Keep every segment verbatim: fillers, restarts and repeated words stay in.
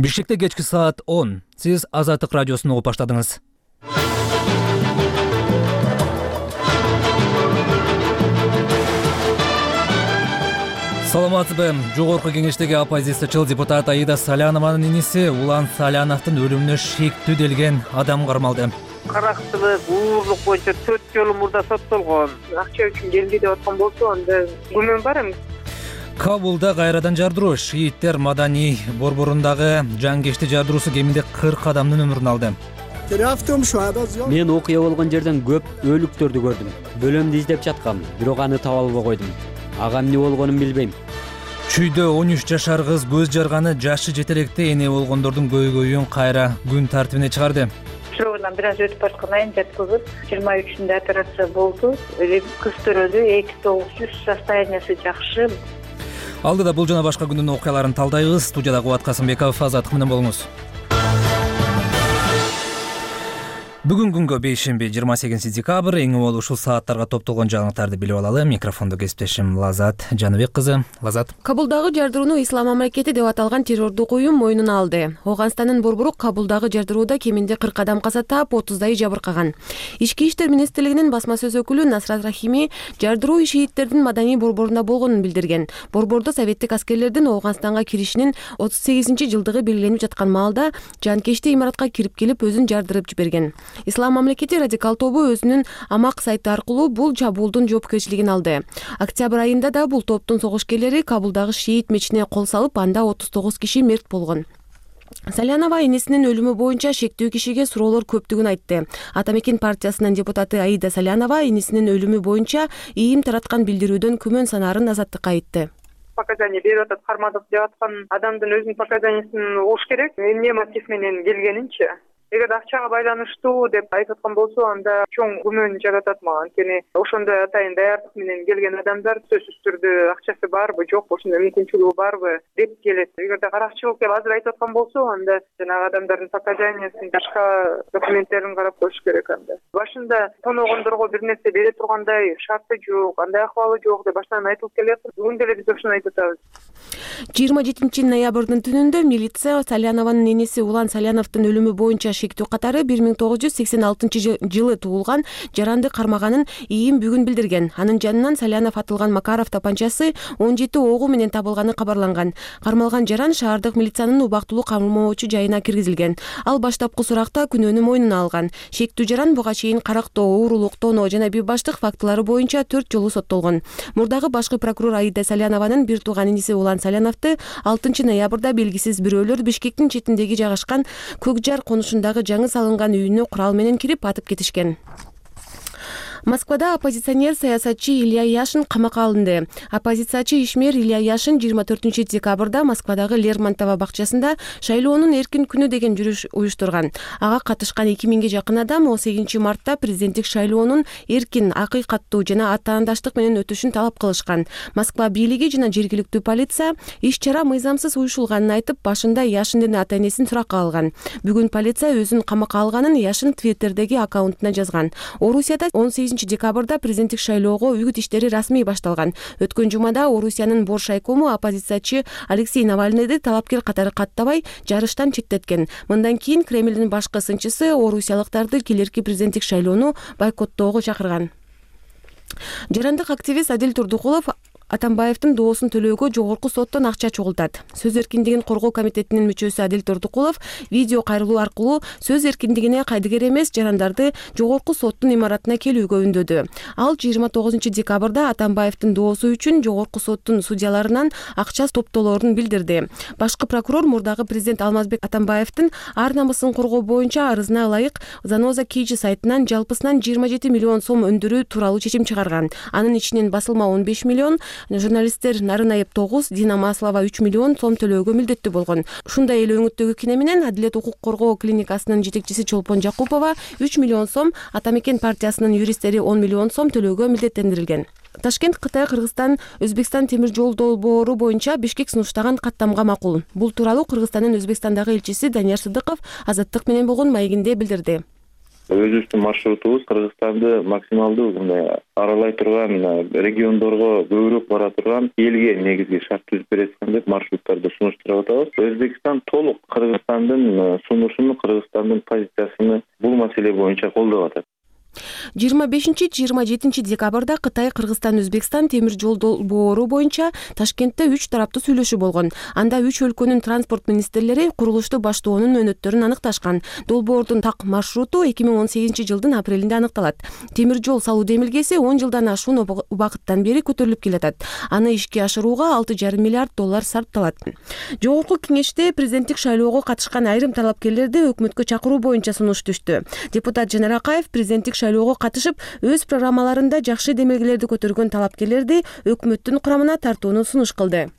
Бишкекте кечки саат он. Сиз Азаттык радиосун угуп баштадыңыз. Саламатсызбы? Жогорку кеңештеги оппозициячыл депутат Аида Салянованын иниси Улан Саляновдун өлүмүнө шектүү делген адам кармалды. Карактылык, уурлук боюнча төрт жолу мурда соттолгон. Акча үчүн келди деп аткан болсо, анда күмөн бар эми. Кабулда кайрадан жардыруу. Шииттер Маданий борборундагы жанкечти жардыруусу кеминде кырк адамдын өмүрүн алды. Мен окуя болгон жерден көп өлүктөрдү көрдүм. Бөлөмдү издеп жаткам, бирок аны таба албай койдум. Ага эмне болгонун билбейм. Чүйдө он үч жашар кыз көз жарганы жашы жетелекте эне болгондордун көйгөйүн кайра күн тартибине чыгарды. Шоудан бир аз өтүп бараткан айын жаткызып, жыйырма үчүндө операция болду. Кыз төрөлдү, эки тогуз жүз, состояниясы жакшы. Алдыда бул жана башка күндүн окуяларын талдайбыз. Студияда Кубат Касымбеков, Азаттык менен болуңуз. Бүгүн күнгө бейшемби жыйырма сегизинчи декабрь. Эң уол ушул сааттарга топтолгон жаңылыктарды билип алалы. Микрофондо кесиптешим Лазат Жаныбек кызы. Лазат. Кабулдагы жардырууну Ислам мамлекети деп аталган террордук уюм мойнуна алды. Ооганстандын борбору Кабулдагы жардырууда кеминде кырк адам каза таап, отуздайы жабыркаган. Ички иштер министрлигинин басма сөз өкүлү Насрат Рахими жардыруу шииттердин Маданий борборунда болгонун билдирген. Борбордо советтик аскерлердин Ооганстанга киришинин отуз сегизинчи жылдыгы белгиленип жаткан маалда жанкечти имаратка кирип келип өзүн жардырып жиберген. Ислам мамлекети радикал тобу өзүнүн амак сайты аркылуу бул чабуулдун жоопкерчилигин алды. Октябрь айында да бул топтун согушкерлери Кабулдагы шиит мечитине кол салып, анда отуз тогуз киши мерт болгон. Салянова энесинин өлүмү боюнча шектүү кишиге суроолор көптүгүн айтты. Атамекен партиясынын депутаты Аида Салянова энесинин өлүмү боюнча ийим тараткан билдирүүдөн күмөн санаарын Азаттыкка айтты. Показания берип атат, кармадык деп аткан адамдын өзүнүн показаниясын угуш керек. Эмне мотив менен келгенинчи. Эгер акчага байланыштуу деп айтып аткан болсо, анда чоң күмөн жаратат мага. Анткени ошондой атайын даярдык менен келген адамдар сөзсүз түрдө акчасы барбы, жокпу, ошондой мүмкүнчүлүгү барбы деп келет. Эгерде каракчылык деп азыр айтып аткан болсо, анда жанагы адамдардын показаниясын, башка документтерин карап коюш керек анда. Башында тоногондорго бир нерсе бере тургандай шарты жок, андай акыбалы жок деп башынан айтылып келет. Бүгүн деле биз ошону айтып атабыз. жыйырма жетинчи ноябрдын түнүндө милиция Салянованын энеси Улан Саляновдун өлүмү боюнча шектүү катары бир миң тогуз жүз сексен алтынчы жылы туулган жаранды кармаганын ийим бүгүн билдирген. Анын жанынан Салянов атылган Макаров тапанчасы он жети огу менен табылганы кабарланган. Кармалган жаран шаардык милициянын убактылуу камылмоочу жайына киргизилген. Ал баштапкы суракта күнөөнү мойнуна алган. Шектүү жаран буга чейин карактоо, уурулук, тоноо жана бейбаштык фактылары боюнча төрт жолу соттолгон. Мурдагы башкы прокурор Аида Салянованын бир тууган иниси Улан Саляновду алтынчы ноябрда белгисиз бирөөлөр Бишкектин четиндеги жайгашкан Көкжар конушундагы жаңы салынган үйүнө курал менен кирип атып кетишкен. Москвада оппозиционер саясатчы Илья Яшин камакка алынды. Оппозициячы ишмер Илья Яшин жыйырма төртүнчү декабрда Москвадагы Лермонтова бакчасында шайлоонун эркин күнү деген жүрүш уюштурган. Ага катышкан эки миңге жакын адам он сегизинчи мартта президенттик шайлоонун эркин, акыйкаттуу жана атаандаштык менен өтүшүн талап кылышкан. Москва бийлиги жана жергиликтүү полиция иш-чара мыйзамсыз уюшулганын айтып, башында Яшиндин ата-энесин суракка алган. Бүгүн полиция өзүн камакка алганын Яшин Твиттердеги аккаунтуна жазган. Орусияда он сегизинчи декабрда президенттик шайлоого үгүт иштери расмий башталган. Өткөн жумада Орусиянын Бош райкому оппозициячы Алексей Навальныйды талапкер катары каттабай жарыштан четтеткен. Мындан кийин Кремлдин башкы сынчысы орусиялыктарды келерки президенттик шайлоону бойкоттоого чакырган. Жарандык активист Адил Турдукулов Атамбаевдин доосун төлөөгө жогорку соттон акча чогултат. Сөз эркиндигин коргоо комитетинин мүчөсү Адил Турдукулов видео кайрылуу аркылуу сөз эркиндигине кайдыгер эмес жарандарды жогорку соттун имаратына келүүгө үндөдү. Ал жыйырма тогузунчу декабрда Атамбаевдин доосу үчүн жогорку соттун судьяларынан акча топтолоорун билдирди. Башкы прокурор мурдагы президент Алмазбек Атамбаевдин ар намысын коргоо боюнча арызына ылайык Заноза Кийчи сайтынан жалпысынан жыйырма жети миллион сом өндүрүү тууралуу чечим чыгарган. Анын ичинен басылма он беш миллион, журналисттер Нарынаев тогуз, Дина Маслова үч миллион сом төлөөгө милдеттүү болгон. Ушундай эле өңүттөгү кине менен Адилет укук коргоо клиникасынын жетекчиси Чолпон Жакупова үч миллион сом, Атамекен партиясынын юристтери он миллион сом төлөөгө милдеттендирилген. Ташкент Кытай, Кыргызстан, Өзбекстан темир жол долбоору боюнча Бишкек сунуштаган каттамга макул. Бул тууралуу Кыргызстандын Өзбекстандагы элчиси Данияр Сыдыков Азаттык менен болгон маегинде билдирди. Өзүбүздүн маршрутубуз Кыргызстанды максималдуу мындай аралай турган, региондорго көбүрөөк бара турган, элге негизги шарт түзүп берет деп маршруттарды сунуштуруп атабыз. Өзбекстан толук Кыргызстандын сунушун, Кыргызстандын позициясын бул маселе боюнча колдоп атат. жыйырма бешинчи жыйырма жетинчи декабрда Кытай, Кыргызстан, Өзбекстан темир жол долбоору боюнча Ташкентте үч тараптуу сүйлөшүү болгон. Анда үч өлкөнүн транспорт министрлери курулушту баштоонун өнөттөрүн аныкташкан. Долбоордун так маршруту эки миң он сегизинчи жылдын апрелинде аныкталат. Темир жол салуу демилгеси он жылдан ашуун убакыттан бери көтөрүлүп келатат. Аны ишке ашырууга алты жарым миллиард доллар сарпталат. Жогорку кеңеште президенттик шайлоого катышкан айрым талапкерлерди өкмөткө чакыруу боюнча сунуш түштү. Депутат Жанар Акаев президенттик шайлоого катышып, өз программаларында жакшы демилгелерди көтөргөн талапкерлерди өкмөттүн курамына тартууну сунуш кылды.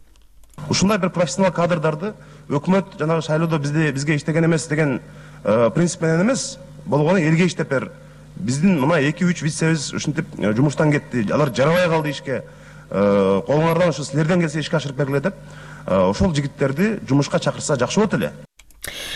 Ушундай бир профессионал кадрдарды өкмөт жанагы шайлоодо бизде бизге иштеген эмес деген принцип менен эмес, болгону элге иштеп бер. Биздин мына эки үч вицебиз ушинтип жумуштан кетти. Алар жарабай калды ишке. Колуңардан ушу силерден келсе ишке ашырып бергиле деп, ошол жигиттерди жумушка чакырса жакшы болот эле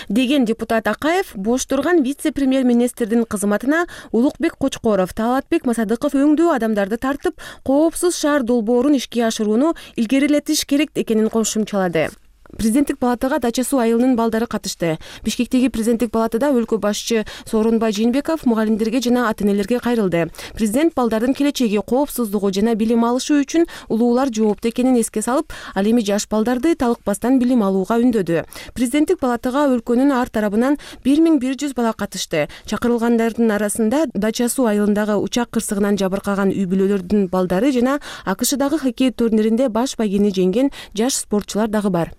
деген депутат Акаев бош турган вице-премьер-министрдин кызматына Улукбек Кочкоров, Талатбек Масадыков өңдүү адамдарды тартып, коопсуз шаар долбоорун ишке ашырууну илгерилетиш керек экенин кошумчалады. Президенттик палатага Дача суу айылынын балдары катышты. Бишкектеги президенттик палатада өлкө башчы Сооронбай Жээнбеков мугалимдерге жана ата-энелерге кайрылды. Президент балдардын келечеги, коопсуздугу жана билим алышы үчүн улуулар жоопту экенин эске салып, ал эми жаш балдарды талыкпастан билим алууга үндөдү. Президенттик палатага өлкөнүн ар тарабынан бир миң бир жүз бала катышты. Чакырылгандардын арасында Дача суу айылындагы учак кырсыгынан жабыркаган үй бүлөлөрдүн балдары жана АКШдагы хоккей турниринде баш байгени жеңген жаш спортчулар дагы бар.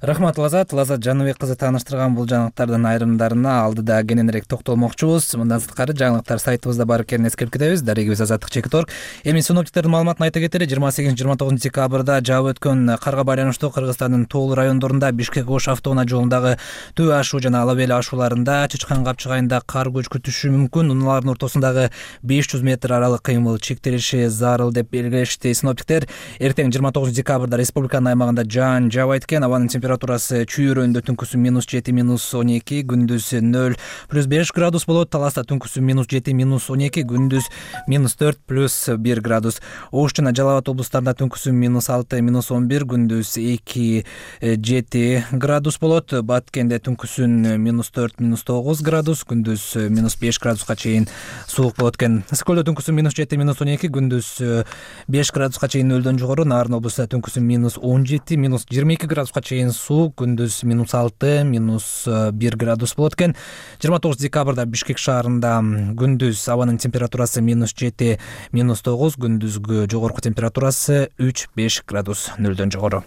Рахмат Лазат, Лазат Жаныбек кызы тааныштырган бул жаңылыктардын айрымдарына алдыда кененирээк токтолмокчубуз. Мындан сырткары жаңылыктар сайтыбызда бар экенин эскертип кетебиз. Дарегибиз Азаттык чекит орг. Эми синоптиктердин маалыматын айта кетели. жыйырма сегизинчи жыйырма тогузунчу декабрда жаап өткөн карга байланыштуу Кыргызстандын тоолуу райондорунда Бишкек-Ош автоунаа жолундагы Төө ашуу жана Ала Бел ашууларында Чычкан капчыгайында кар көч күтүшү мүмкүн. Унаалардын ортосундагы беш жүз метр аралык кыймыл чектелиши зарыл деп белгилешти синоптиктер. Эртең жыйырма тогузунчу декабрда республиканын аймагында жаан жаабайт экен. Абанын температурасы чүйөрөндө түнкүсү минус жети минус он эки, күндүз нөл плюс беш градус болот. Таласта түнкүсү минус жети минус он эки, күндүз минус төрт плюс бир градус. Ош жана Жалал Абад облустарында түнкүсү минус алты минус он бир, күндүз эки жети градус болот. Баткенде түнкүсүн минус төрт минус тогуз градус, күндүз минус беш градуска чейин суук болот экен. Ысык-көлдө түнкүсү минус жети минус он эки, күндүз беш градуска чейин нөлдөн жогору. Нарын облустунда түнкүсү минус он жети минус жыйырма эки градуска чейин суук, күндүз минус алты минус бир градус болот экен. жыйырма тогузунчу декабрда Бишкек шаарында күндүз абанын температурасы минус жети минус тогуз, күндүзгү жогорку температурасы үч беш градус нөлдөн жогору.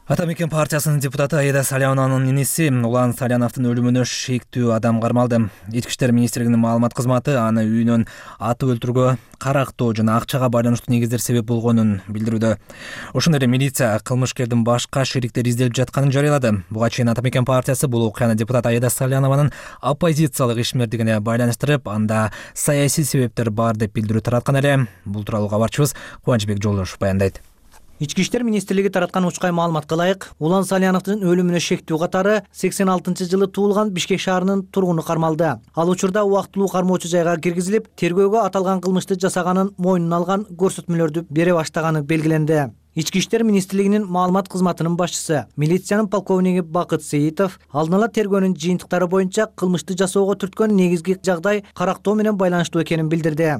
Ата мекен партиясынын депутаты Аида Салянованын иниси Улан Саляновдун өлүмүнө шектүү адам кармалды. Ички иштер министрлигинин маалымат кызматы аны үйүнөн атып өлтүрүүгө карактоо жана акчага байланыштуу негиздер себеп болгонун билдирүүдө. Ошондой эле милиция кылмышкердин башка шериктери изделип жатканын жарыялады. Буга чейин Ата мекен партиясы бул окуяны депутат Аида Салянованын оппозициялык ишмердигине байланыштырып, анда саясий себептер бар деп билдирүү тараткан эле. Бул тууралуу кабарчыбыз Кубанычбек Жолдошев баяндайт. Ички иштер министрлиги тараткан учкай маалыматка ылайык, Улан Саляновдун өлүмүнө шектүү катары сексен алтынчы жылы туулган Бишкек шаарынын тургуну кармалды. Ал учурда убактылуу кармоочу жайга киргизилип, тергөөгө аталган кылмышты жасаганын мойнуна алган көрсөтмөлөрдү бере баштаганы белгиленди. Ички иштер министрлигинин маалымат кызматынын башчысы, милициянын полковниги Бакыт Сейитов алдын ала тергөөнүн жыйынтыктары боюнча кылмышты жасоого түрткөн негизги жагдай карактоо менен байланыштуу экенин билдирди.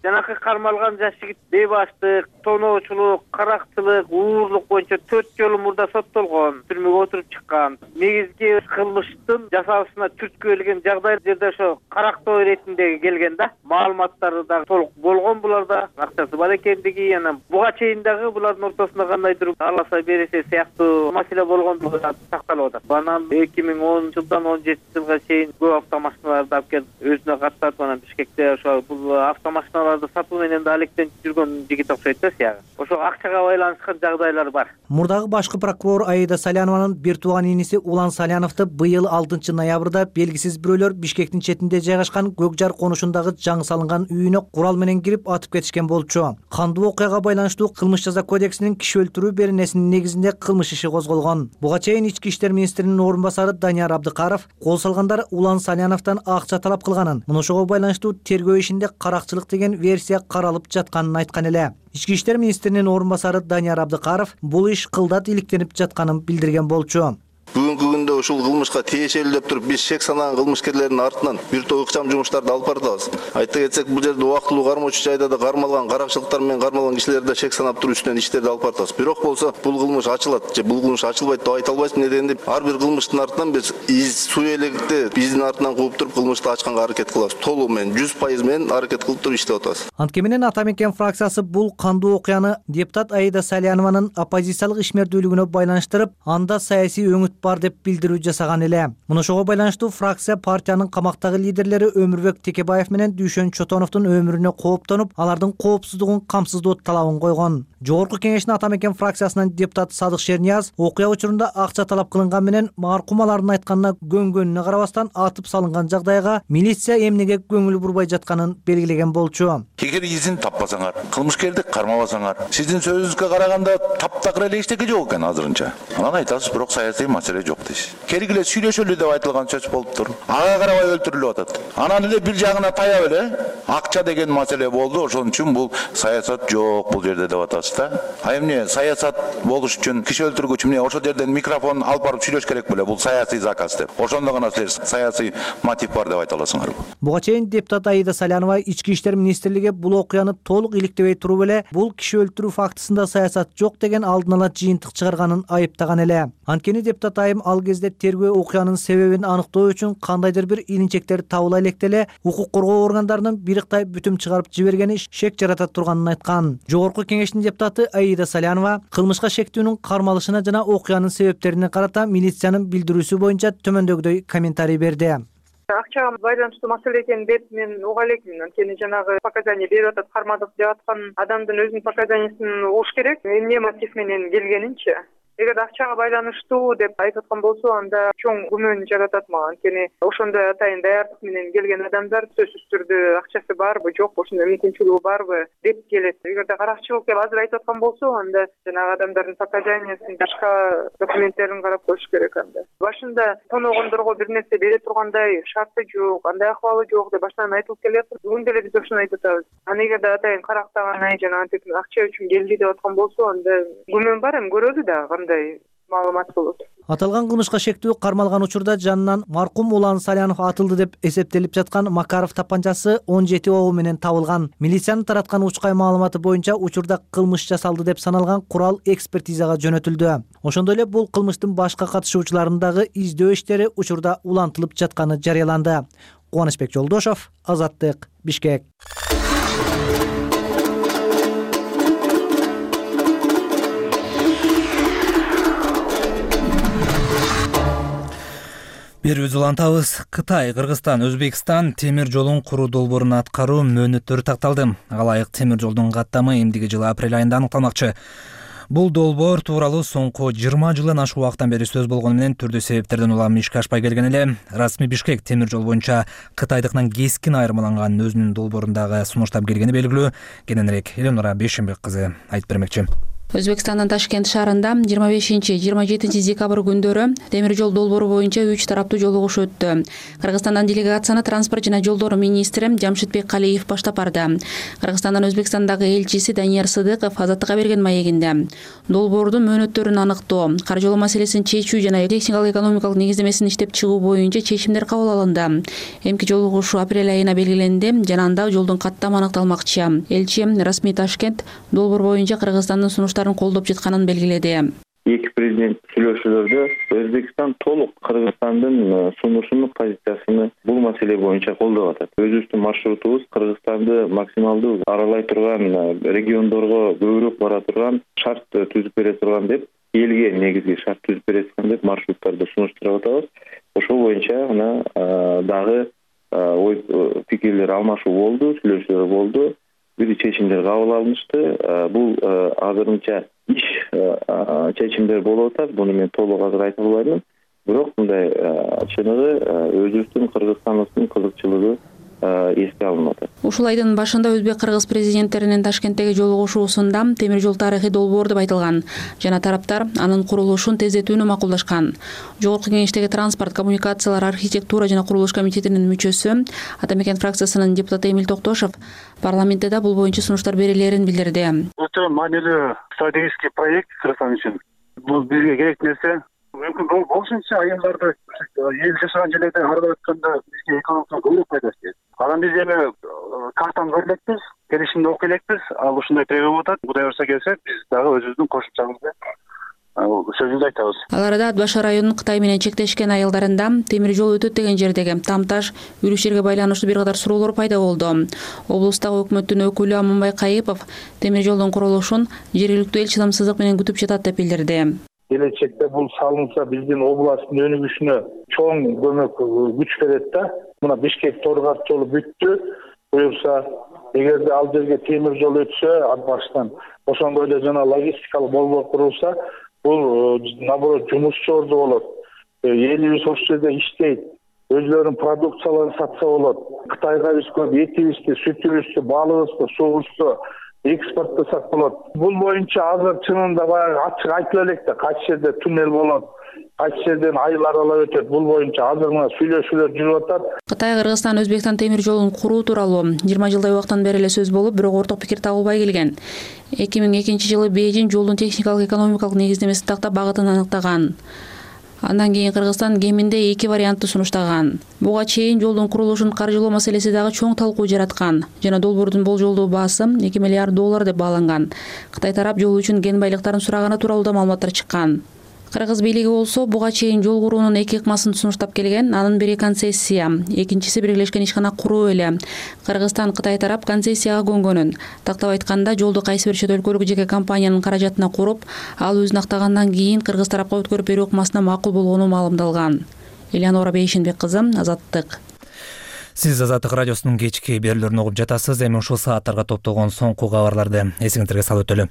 Жанакы кармалган жаш жигит бейбаштык, тоноочулук, карактылык, уурлук боюнча төрт жолу мурда соттолгон, түрмөгө отуруп чыккан. Негизги кылмыштын жасалышына түрткү келген жагдай жерде ошо карактоо иретинде келген да. Маалыматтары да толук болгон буларда, акчасы бар экендиги, анан буга чейин дагы булардын ортосунда кандайдыр аласа бересе сыяктуу маселе болгондугу сакталып атат. Анан эки миң онунчу жылдан он жетинчи жылга чейин көп автомашиналарды алып келип өзүнө каттатып, анан Бишкекте ошо бул автомашиналар машиналарды сатуу менен да алектенип жүргөн жигит окшойт да сиягы. Ошо акчага байланышкан жагдайлар бар. Мурдагы башкы прокурор Аида Салянованын бир тууган иниси Улан Саляновду быйыл алтынчы ноябрда белгисиз бирөөлөр Бишкектин четинде жайгашкан Көкжар конушундагы жаңы салынган үйүнө курал менен кирип атып кетишкен болчу. Кандуу окуяга байланыштуу кылмыш жаза кодексинин киши өлтүрүү беренесинин негизинде кылмыш иши козголгон. Буга чейин Ички иштер министринин орун басары Данияр Абдыкаров кол салгандар Улан Саляновдон акча талап кылганын, мына ошого байланыштуу тергөө ишинде каракчылык деген версия каралып жатканын айткан эле. Ички иштер министринин орун басары Данияр Абдыкаров бул иш кылдат иликтенип жатканын билдирген болчу. Бүгүнкү күндө ушул кылмышка тиешелүү деп туруп биз шек санаган кылмышкерлердин артынан бир топ ыкчам жумуштарды алып баратабыз. Айта кетсек, бул жерде убактылуу кармоочу жайда да кармалган, каракчылыктар менен кармалган кишилерди шек санап туруп үстүнөн иштерди алып баратабыз. Бирок болсо бул кылмыш ачылат же бул кылмыш ачылбайт деп айта албайбыз. Неден ар бир кылмыштын артынан биз из суу элегинде биздин артынан кууп туруп кылмышты ачканга аракет кылабыз. Толугу менен жүз пайыз менен аракет кылып туруп иштеп атабыз. Анткени менен Ата мекен фракциясы бул кандуу окуяны депутат Аида Салянованын оппозициялык ишмердүүлүгүнө байланыштырып, анда саясий өңүт бар деп билдирүү жасаган эле. Мына ошого байланыштуу фракция партиянын камактагы лидерлери Өмүрбек Текебаев менен Дүйшөн Чотоновдун өмүрүнө кооптонуп, алардын коопсуздугун камсыздоо талабын койгон. Жогорку кеңештин Ата мекен фракциясынын депутаты Садык Шернияз окуя учурунда акча талап кылынган менен маркум алардын айтканына көнгөнүнө карабастан атып салынган жагдайга милиция эмнеге көңүл бурбай жатканын белгилеген болчу. Эгер изин таппасаңар, кылмышкерди кармабасаңар, сиздин сөзүңүзгө караганда таптакыр эле эчтеке жок экен азырынча. Анан айтасыз, бирок саясий маселе жок дейсиз. Келгиле сүйлөшөлү деп айтылган сөз болуптур. Ага карабай өлтүрүлүп атат. Анан эле бир жагына таяп эле акча деген маселе болду. Ошон үчүн бул саясат жок бул жерде деп атасыз да. А эмне саясат болуш үчүн киши өлтүргүч эмне ошол жерден микрофон алып барып сүйлөш керек беле? Бул саясий заказ деп. Ошондо гана силер саясий мотив бар деп айта аласыңар. Буга чейин депутат Аида Салянова Ички иштер министрлиги бул окуяны толук иликтебей туруп эле бул киши өлтүрүү фактысында саясат жок деген алдын ала жыйынтык чыгарганын айыптаган эле. Анткени депутат айым ал кезде тергөө окуянын себебин аныктоо үчүн кандайдыр бир илинчектер табыла электеле укук коргоо органдарынын бириктай бүтүм чыгарып жибергени шек жарата турганын айткан. Жогорку кеңештин депутаты Аида Салянова кылмышка шектүүнүн кармалышына жана окуянын себептерине карата милициянын билдирүүсү боюнча төмөндөгүдөй комментарий берди. Акчага байланыштуу маселе экенин деп мен уга элекмин. Анткени жанагы показания берип атат, кармадык деп аткан адамдын өзүнүн показаниясын угуш керек. Эмне мотив менен келгенинчи. Эгер акчага байланыштуу деп айтып аткан болсо, анда чоң күмөн жаратат мага. Анткени ошондой атайын даярдык менен келген адамдар сөзсүз түрдө акчасы барбы, жокпу, ошондой мүмкүнчүлүгү барбы деп келет. Эгерде каракчылык деп азыр айтып аткан болсо, анда жанагы адамдардын показаниясын, башка документтерин карап коюш керек анда. Башында тоногондорго бир нерсе бере тургандай шарты жок, андай акыбалы жок деп башынан айтылып келет. Бүгүн деле биз ошону айтып атабыз. Аны эгерде атайын карактаган, жана антип акча үчүн келди деп аткан болсо, анда күмөн бар, эми көрөлү да маалымат болот. Аталган кылмышка шектүү кармалган учурда жанынан маркум Улан Салянов атылды деп эсептелип жаткан Макаров тапанчасы он жети ого менен табылган. Милициянын тараткан учкай маалыматы боюнча учурда кылмыш жасалды деп саналган курал экспертизага жөнөтүлдү. Ошондой эле бул кылмыштын башка катышуучуларынын дагы издөө иштери учурда улантылып жатканы жарыяланды. Кубанычбек Жолдошов, Азаттык, Бишкек. Бир улантабыз. Кытай, Кыргызстан, Өзбекстан темир жолун куруу долбоорун аткаруу мөөнөттөрү такталды. Алайык темир жолдун каттамы эмдиги жылы апрель айында аныкталмакчы. Бул долбоор тууралуу соңку жыйырма жылдан ашык убакыттан бери сөз болгону менен түрдүү себептерден улам ишке ашпай келген эле. Расмий Бишкек темир жол боюнча кытайдыкынан кескин айырмаланган өзүнүн долбоорундагы сунуштап келгени белгилүү. Кененирээк Эленора Бейшенбек кызы айтып бермекчи. Өзбекстандын Ташкент шаарында жыйырма бешинчи жыйырма жетинчи декабрь күндөрү темир жол долбоору боюнча үч тараптуу жолугуш өттү. Кыргызстандан делегацияны транспорт жана жолдор министри Жамшитбек Калиев баштап барды. Кыргызстандан Өзбекстандагы элчиси Данияр Сыдыков Азаттыкка берген маегинде долбоордун мөөнөттөрүн аныктоо, каржылоо маселесин чечүү жана техникалык экономикалык негиздемесин иштеп чыгуу боюнча чечимдер кабыл алынды. Эмки жолугуш апрель айына белгиленди жана анда жолдун каттамы аныкталмакчы. Элчи Расмий Ташкент долбоор боюнча Кыргызстандын сунуштарын колдоп жатканын белгиледи. Эки президент сүйлөшүүлөрдө Өзбекстан толук Кыргызстандын сунушунун позициясыны бул маселе боюнча колдоп атат. Өзүбүздүн маршрутубуз Кыргызстанды максималдуу аралай турган, региондорго көбүрөөк бара турган, шарт түзүп бере турган деп, элге негизги шарт түзүп бере турган деп маршруттарды сунуштуруп атабыз. Ошол боюнча мына дагы ой пикирлер алмашуу болду, сүйлөшүүлөр болду. бир чечимдер кабыл алынышты. Бул азырынча иш чечимдер болуп атат. Буну мен толук азыр айта албайм. Бирок мындай чыныгы өзүбүздүн Кыргызстандын кызыкчылыгы эске алынып атат. Ушул айдын башында өзбек-кыргыз президенттеринин Ташкенттеги жолугушуусунда темир жол тарыхый долбоор деп айтылган жана тараптар анын курулушун тездетүүнү макулдашкан. Жогорку Кеңештеги транспорт, коммуникациялар, архитектура жана курулуш комитетинин мүчөсү, Ата Мекен фракциясынын депутаты Эмил Токтошов парламентте да бул боюнча сунуштар берилерин билдирди. Өтө маанилүү стратегический проект Кыргызстан үчүн. Бул бизге керек нерсе. Мүмкүн болушунча айылдарды эл жашаган жерлерде аралап өткөндө бизге экономикага көбүрөөк пайда этет. Анан биз эми картаны көрүп элекпиз, келишимди окуп элекпиз. Ал ушундай болуп атат. Кудай буюрса келсе, биз дагы өзүбүздүн кошумчабызды сөзүбүздү айтабыз. Ал арада Ат Башы районунун Кытай менен чектешкен айылдарында темир жол өтөт деген жердеги Тамташ, Үрүшерге байланыштуу бир катар суроолор пайда болду. Облустагы өкмөттүн өкүлү Аманбай Кайыпов темир жолдун курулушун жергиликтүү эл чыдамсыздык менен күтүп жатат деп билдирди. Келечекте бул салынса биздин областтын өнүгүшүнө чоң көмөк күч берет да. Мына Бишкек Торгат жолу бүттү. Буюрса, эгерде ал жерге темир жол өтсө, Ат Баштан ошондой эле жана логистикалык болбор курулса, бул наоборот жумушчу орду болот. Элибиз ошол жерде иштейт. Өзлөрүнүн продукцияларын сатса болот. Кытайга биз көп этибизди, сүтүбүздү, балыбызды, суубузду экспорттосак болот. Бул боюнча азыр чынында баягы ачык айтып элек да, кайсы жерде туннель болот, кайсы жерден айыл аралап өтөт. Бул боюнча азыр мына сүйлөшүүлөр жүрүп атат. Кытай, Кыргызстан, Өзбекстан темир жолун куруу тууралуу жыйырма жылдай убактан бери эле сөз болуп, бирок орток пикир табылбай келген. эки миң экинчи жылы Бейжин жолдун техникалык экономикалык негиздемесин тактап багытын аныктаган. Андан кийин Кыргызстан кеминде эки вариантты сунуштаган. Буга чейин жолдун курулушун каржылоо маселеси дагы чоң талкуу жараткан жана долбоордун болжолдуу баасы эки миллиард доллар деп бааланган. Кытай тарап жол үчүн кен байлыктарын сураганы тууралуу да маалыматтар чыккан. Кыргыз бийлиги болсо буга чейин жол куруунун эки ыкмасын сунуштап келген. Анын бири концессия, экинчиси биргелешкен ишкана куруу эле. Кыргызстан Кытай тарап концессияга көнгөнүн. Тактап айтканда, жолду кайсы бир чет өлкөлүк жеке компаниянын каражатына куруп, ал өзүн актагандан кийин кыргыз тарапка өткөрүп берүү ыкмасына макул болгону маалымдалган. Элеонора Бейшенбек кызы, Азаттык. Сиз Азаттык радиосунун кечки берүүлөрүн угуп жатасыз. Эми ушул сааттарга топтолгон соңку кабарларды эсиңиздерге салып өтөлү.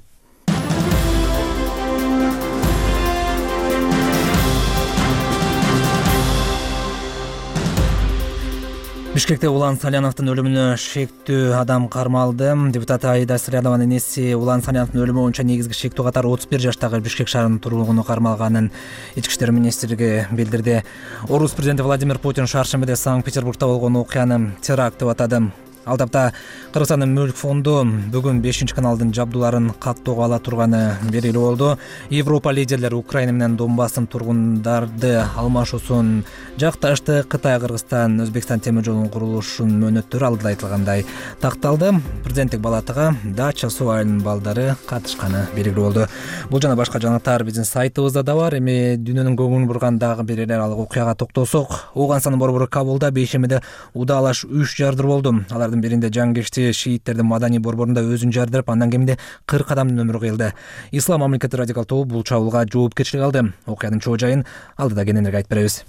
Бишкекте Улан Саляновдун өлүмүнө шектүү адам кармалды. Депутат Аида Салянованын энеси Улан Саляновдун өлүмү боюнча негизги шектүү катары отуз бир жаштагы Бишкек шаарынын тургуну кармалганын Ички иштер министрлиги билдирди. Орус президенти Владимир Путин шаршембиде Санкт-Петербургда болгон окуяны теракт деп атады. Ал тапта Кыргызстандын мүлк фонду бүгүн бешинчи каналдын жабдууларын каттоого ала турганы белгилүү болду. Европа лидерлери Украина менен Донбасстын тургундарды алмашуусун жакташты. Кытай, Кыргызстан, Өзбекстан темир жолунун курулушунун мөөнөттөрү алдыда айтылгандай такталды. Президенттик палатага Дача суу айылынын балдары катышканы белгилүү болду. Бул жана башка жаңылыктар биздин сайтыбызда да бар. Эми дүйнөнүн көңүлүн бурган дагы бир эл аралык окуяга токтолсок, Ооганстандын борбору Кабулда бейшембиде удаалаш үч жардыр болду. Алардын биринде жангешти шииттердин маданий борборунда өзүн жардырып, андан кеминде кырк адамдын өмүрү кыйылды. Ислам мамлекети радикал тобу бул чабуулга жоопкерчилик алды. Окуянын чоо жайын алдыда кененирээк айтып беребиз.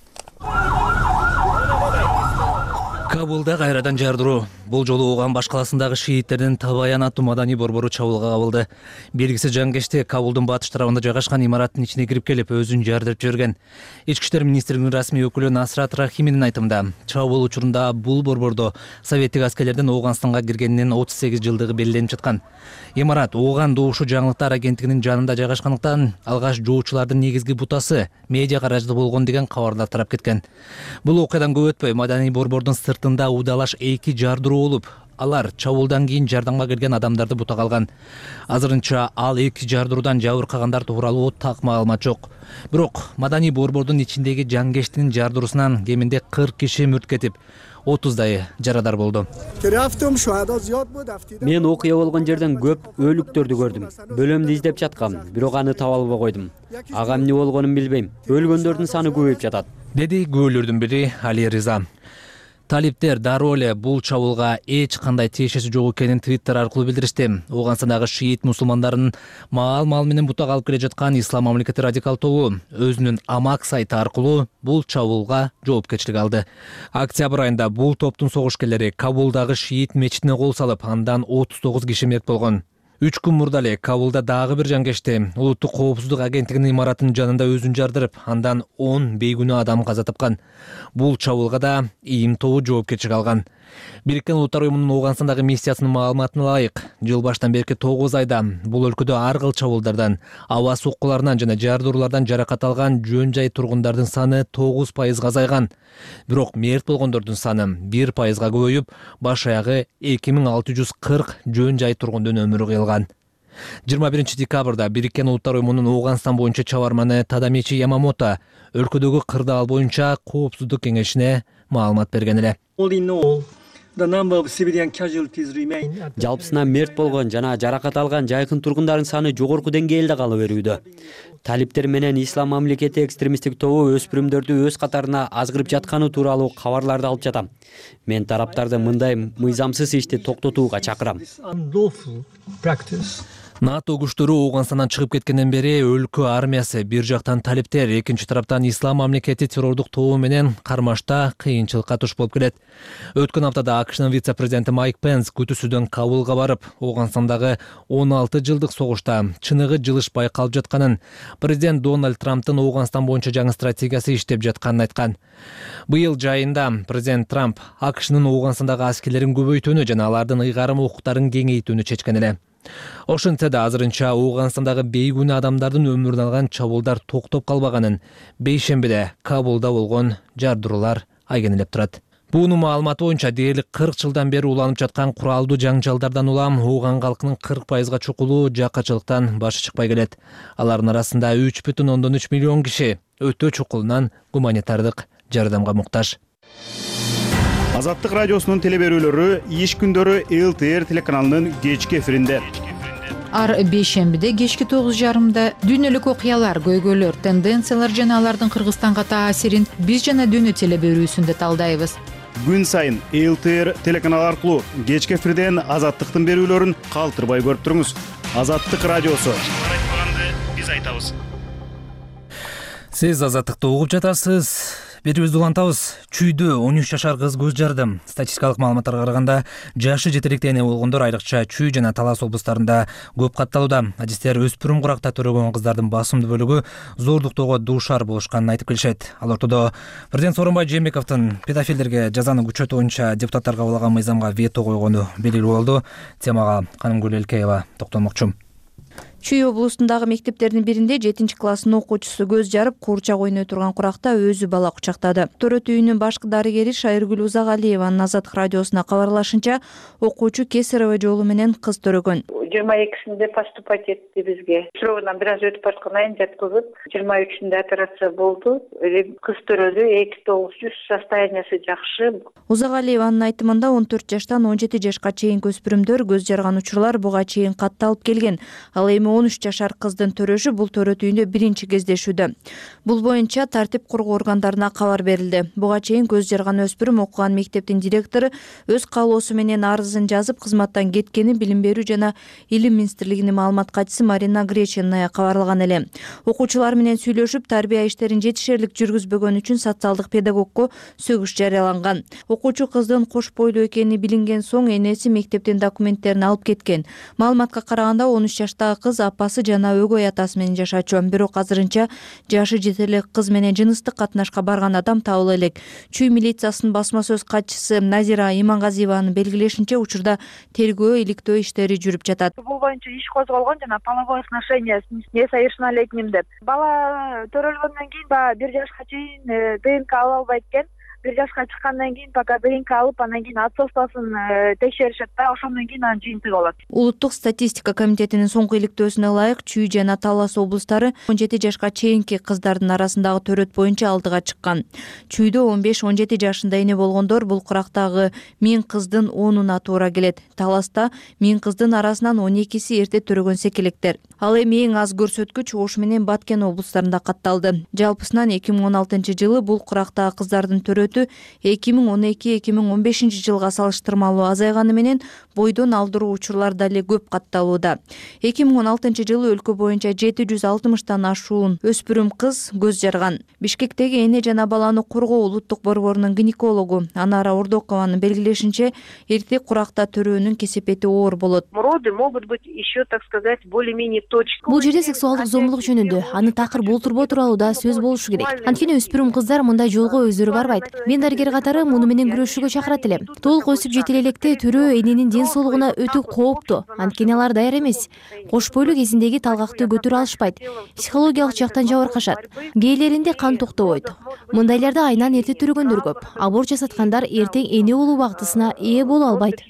Кабулда кайрадан жардыруу. Бул жолу Ооган баш каласындагы шииттердин Табаян аттуу маданий борбору чабуулга кабылды. Белгисиз жангешти Кабулдун батыш тарабында жайгашкан имараттын ичине кирип келип, өзүн жардырып жиберген. Ички иштер министрлигинин расмий өкүлү Насрат Рахиминин айтымында, чабуул учурунда бул борбордо советтик аскерлердин Ооганстанга киргенинин отуз сегиз жылдыгы белгиленип жаткан. Имарат Ооган добушу жаңылыктар агенттигинин жанында жайгашкандыктан алгаш жоочулардын негизги бутасы медиа каражаты болгон деген кабарлар тарап кеткен. Бул окуядан көп өтпөй маданий борбордун сыртында удалаш эки жардыруу болуп, алар чабуулдан кийин жардамга келген адамдарды бутага алган. Азырынча ал эки жардыруудан жабыркагандар тууралуу так маалымат жок. Бирок маданий борбордун ичиндеги жангештин жардыруусунан кеминде кырк киши мүрт кетип, отуздай жарадар болду. Мен окуя болгон жерден көп өлүктөрдү көрдүм. Бөлөмдү издеп жаткам, бирок аны таба албай койдум. Ага эмне болгонун билбейм. Өлгөндөрдүн саны көбөйүп жатат, деди күбөлөрдүн бири Али Риза. Талиптер дароо эле бул чабуулга эч кандай тиешеси жок экенин Твиттер аркылуу билдиришти. Ооганстандагы шиит мусулмандарын маал-маал менен бутак алып келе жаткан Ислам мамлекети радикал тобу өзүнүн Амак сайты аркылуу бул чабуулга жоопкерчилик алды. Октябрь айында бул топтун согушкерлери Кабулдагы шиит мечитине кол салып, андан отуз тогуз киши мерт болгон. Үч күн мурда эле Кабулда дагы бир жангешти. Улуттук коопсуздук агенттигинин имаратынын жанында өзүн жардырып, андан он бейгүнөө адам каза тапкан. Бул чабуулга да ИИМ тобу жоопкерчилик алган. Бириккен Улуттар уюмунун Ооганстандагы миссиясынын маалыматына ылайык, жыл баштан берки тогуз айда бул өлкөдө ар кыл чабуулдардан, аба соккуларынан жана жардыруулардан жаракат алган жөн жай тургундардын саны тогуз пайызга азайган. Бирок мерт болгондордун саны бир пайызга көбөйүп, баш аягы эки миң алты жүз кырк жөн жай тургундун өмүрү кыйылган. жыйырма биринчи декабрда Бириккен Улуттар уюмунун Ооганстан боюнча чабарманы Тадамичи Ямамото өлкөдөгү кырдаал боюнча коопсуздук кеңешине маалымат берген эле. Жалпысынан мерт болгон жана жаракат алган жайкын тургундардын саны жогорку деңгээлде кала берүүдө. Талиптер менен Ислам мамлекети экстремисттик тобу өспүрүмдөрдү өз катарына азгырып жатканы тууралуу кабарларды алып жатам. Мен тараптарды мындай мыйзамсыз ишти токтотууга чакырам. НАТО күчтөрү Ооганстандан чыгып кеткенден бери өлкө армиясы бир жактан талиптер, экинчи тараптан Ислам мамлекети террордук тобу менен кармашта кыйынчылыкка туш болуп келет. Өткөн аптада АКШнын вице-президенти Майк Пенс күтүүсүдөн Кабулга барып, Ооганстандагы он алты жылдык согушта чыныгы жылыш байкалып жатканын, президент Дональд Трамптын Ооганстан боюнча жаңы стратегиясы иштеп жатканын айткан. Быйыл жайында президент Трамп АКШнын Ооганстандагы аскерлерин көбөйтүүнү жана алардын ыйгарым укуктарын кеңейтүүнү чечкен эле. Ошентсе да азырынча Ооганстандагы бейгүнөө адамдардын өмүрүн алган чабуулдар токтоп калбаганын бейшембиде Кабулда болгон жардыруулар айгинелеп турат. Буунун маалыматы боюнча дээрлик кырк жылдан бери уланып жаткан куралдуу жаңжалдардан улам Ооган калкынын кырк пайызга чукулу жакачылыктан башы чыкпай келет. Алардын арасында үч бүтүн ондон үч миллион киши өтө чукулунан гуманитардык жардамга муктаж. Азаттык радиосунун теле берүүлөрү иш күндөрү эл тэ эр телеканалынын кечки эфиринде. Ар бейшембиде кечки тогуз жарымда дүйнөлүк окуялар, көйгөйлөр, тенденциялар жана алардын Кыргызстанга таасирин биз жана дүйнө теле берүүсүндө талдайбыз. Күн сайын эл тэ эр телеканалы аркылуу кечки эфирден Азаттыктын берүүлөрүн калтырбай көрүп туруңуз. Азаттык радиосу. Айтпаганды биз айтабыз. Сиз Азаттыкты угуп жатасыз. Берүүбүздү улантабыз. Чүйдө он үч жашар кыз көз жарды. Статистикалык маалыматтарга караганда, жашы жетеликте эне болгондор айрыкча Чүй жана Талас облустарында көп катталууда. Адистер өспүрүм куракта төрөгөн кыздардын басымдуу бөлүгү зордуктоого дуушар болушканын айтып келишет. Ал ортодо президент Сооронбай Жээнбековдун педофилдерге жазаны күчөтүү боюнча депутаттар кабыл алган мыйзамга вето койгону белгилүү болду. Темага Канымгүл Элкеева токтолмокчу. Чүй облусундагы мектептердин биринде жетинчи класстын окуучусу көз жарып, куурчак ойной турган куракта өзү бала кучактады. Төрөт үйүнүн башкы дарыгери Шайыргүл Узагалиеванын Азаттык радиосуна кабарлашынча, окуучу кесарево жолу менен кыз төрөгөн. жыйырма экисинде поступать этти бизге. Срогунан бир аз өтүп бараткан айын жаткызып, жыйырма үчүндө операция болду. Кыз төрөлдү, эки тогуз жүз, состояниясы жакшы. Узагалиеванын айтымында он төрт жаштан он жети жашка чейинки өспүрүмдөр көз жарган учурлар буга чейин катталып келген. Ал эми он үч жашар кыздын төрөшү бул төрөт үйүндө биринчи кездешүүдө. Бул боюнча тартип кургоо органдарына кабар берилди. Буга чейин көз жарган өспүрүм окуган мектептин директору өз каалоосу менен арызын жазып, кызматтан кеткени Билим берүү жана Илим министрлигинин маалымат катчысы Марина Гречиная кабарлаган эле. Окуучулар менен сүйлөшүп, тарбия иштерин жетишерлик жүргүзбөгөн үчүн социалдык педагогко сөгүш жарыяланган. Окуучу кыздын кош бойлуу экени билинген соң энеси мектептин документтерин алып кеткен. Маалыматка караганда он үч жаштагы кыз апасы жана өгөй атасы менен жашачу. Бирок азырынча жашы жете элек кыз менен жыныстык катнашка барган адам табыла элек. Чүй милициясынын басма сөз катчысы Назира Имангазиеванын белгилешинче, учурда тергөө, иликтөө иштери жүрүп жатат. Бул боюнча иш козголгон жана половое сношение не совершеннолетним деп. Бала төрөлгөндөн кийин баягы бир жашка чейин ДНК ала албайт экен. Бир жашка чыккандан кийин пока ДНК алып, анан кийин отцовствосын текшеришет да, ошондон кийин анын жыйынтыгы болот. Улуттук статистика комитетинин соңку иликтөөсүнө ылайык, Чүй жана Талас облустары он жети жашка чейинки кыздардын арасындагы төрөт боюнча алдыга чыккан. Чүйдө он беш он жети жашында эне болгондор бул курактагы миң кыздын онуна туура келет. Таласта миң кыздын арасынан он экиси эрте төрөгөн секелектер. Ал эми эң аз көрсөткүч Ош менен Баткен облустарында катталды. Жалпысынан эки миң он алтынчы жылы бул курактагы кыздардын төрөтү өсмөтү эки миң он эки эки миң он бешинчи жылга салыштырмалуу азайганы менен бойдон алдыруу учурлар дали көп катталууда. эки миң он алтынчы жылы өлкө боюнча жети жүз алтымыштан ашуун өспүрүм кыз көз жарган. Бишкектеги эне жана баланы коргоо улуттук борборунун гинекологу Анара Ордокованын белгилешинче, эртек куракта төрөөнүн кесепети оор болот. Роды могут быть еще, так сказать, более-менее точными. Бул жерде сексуалдык зомбулук жөнүндө аны такыр болтурбоо тууралуу да сөз болушу керек. Анткени өспүрүм кыздар мындай жолго өздөрү барбайт. Мен дарыгер катары муну менен күрөшүүгө чакырат элем. Толук өсүп жете электе төрөө эненин ден соолугуна өтө кооптуу. Анткени алар даяр эмес. Кош бойлуу кезиндеги талгакты көтөрө алышпайт. Психологиялык жактан жабыркашат. Кээлеринде кан токтобойт. Мындайларда айынан эрте төрөгөндөр көп. Аборт жасаткандар эртең эне болуу бактысына ээ боло албайт.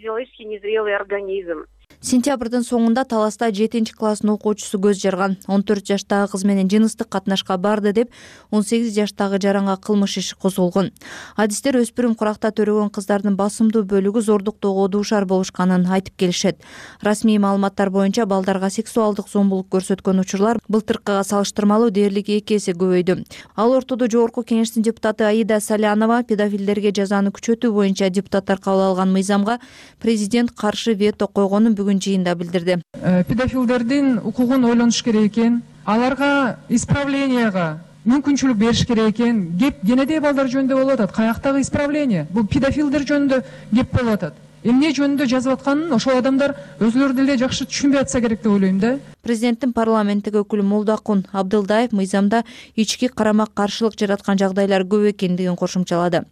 Сентябрдын соңунда Таласта жетинчи класстын окуучусу көз жарган. он төрт жаштагы кыз менен жыныстык катнашка барды деп он сегиз жаштагы жаранга кылмыш иши козголгон. Адистер өспүрүм куракта төрөгөн кыздардын басымдуу бөлүгү зордуктоого дуушар болушканын айтып келишет. Расмий маалыматтар боюнча балдарга сексуалдык зомбулук көрсөткөн учурлар былтыркыга салыштырмалуу дээрлик эки эсе көбөйдү. Ал ортодо Жогорку Кеңештин депутаты Аида Салянова педофилдерге жазаны күчөтүү боюнча депутаттар кабыл алган мыйзамга президент каршы вето койгонун бүгүн жыйында билдирди. Педофилдердин укугун ойлонуш керек экен, аларга исправленияга мүмкүнчүлүк бериш керек экен. Кеп кенедей балдар жөнүндө болуп атат. Каяктагы исправление? Бул педофилдер жөнүндө кеп болуп атат. Эмне жөнүндө жазып атканын ошол адамдар өзүлөрү деле жакшы түшүнбөй атса керек деп ойлойм да. Президенттин парламенттеги өкүлү Молдокун Абдылдаев мыйзамда ички карама-каршылык жараткан жагдайлар көп экендигин кошумчалады.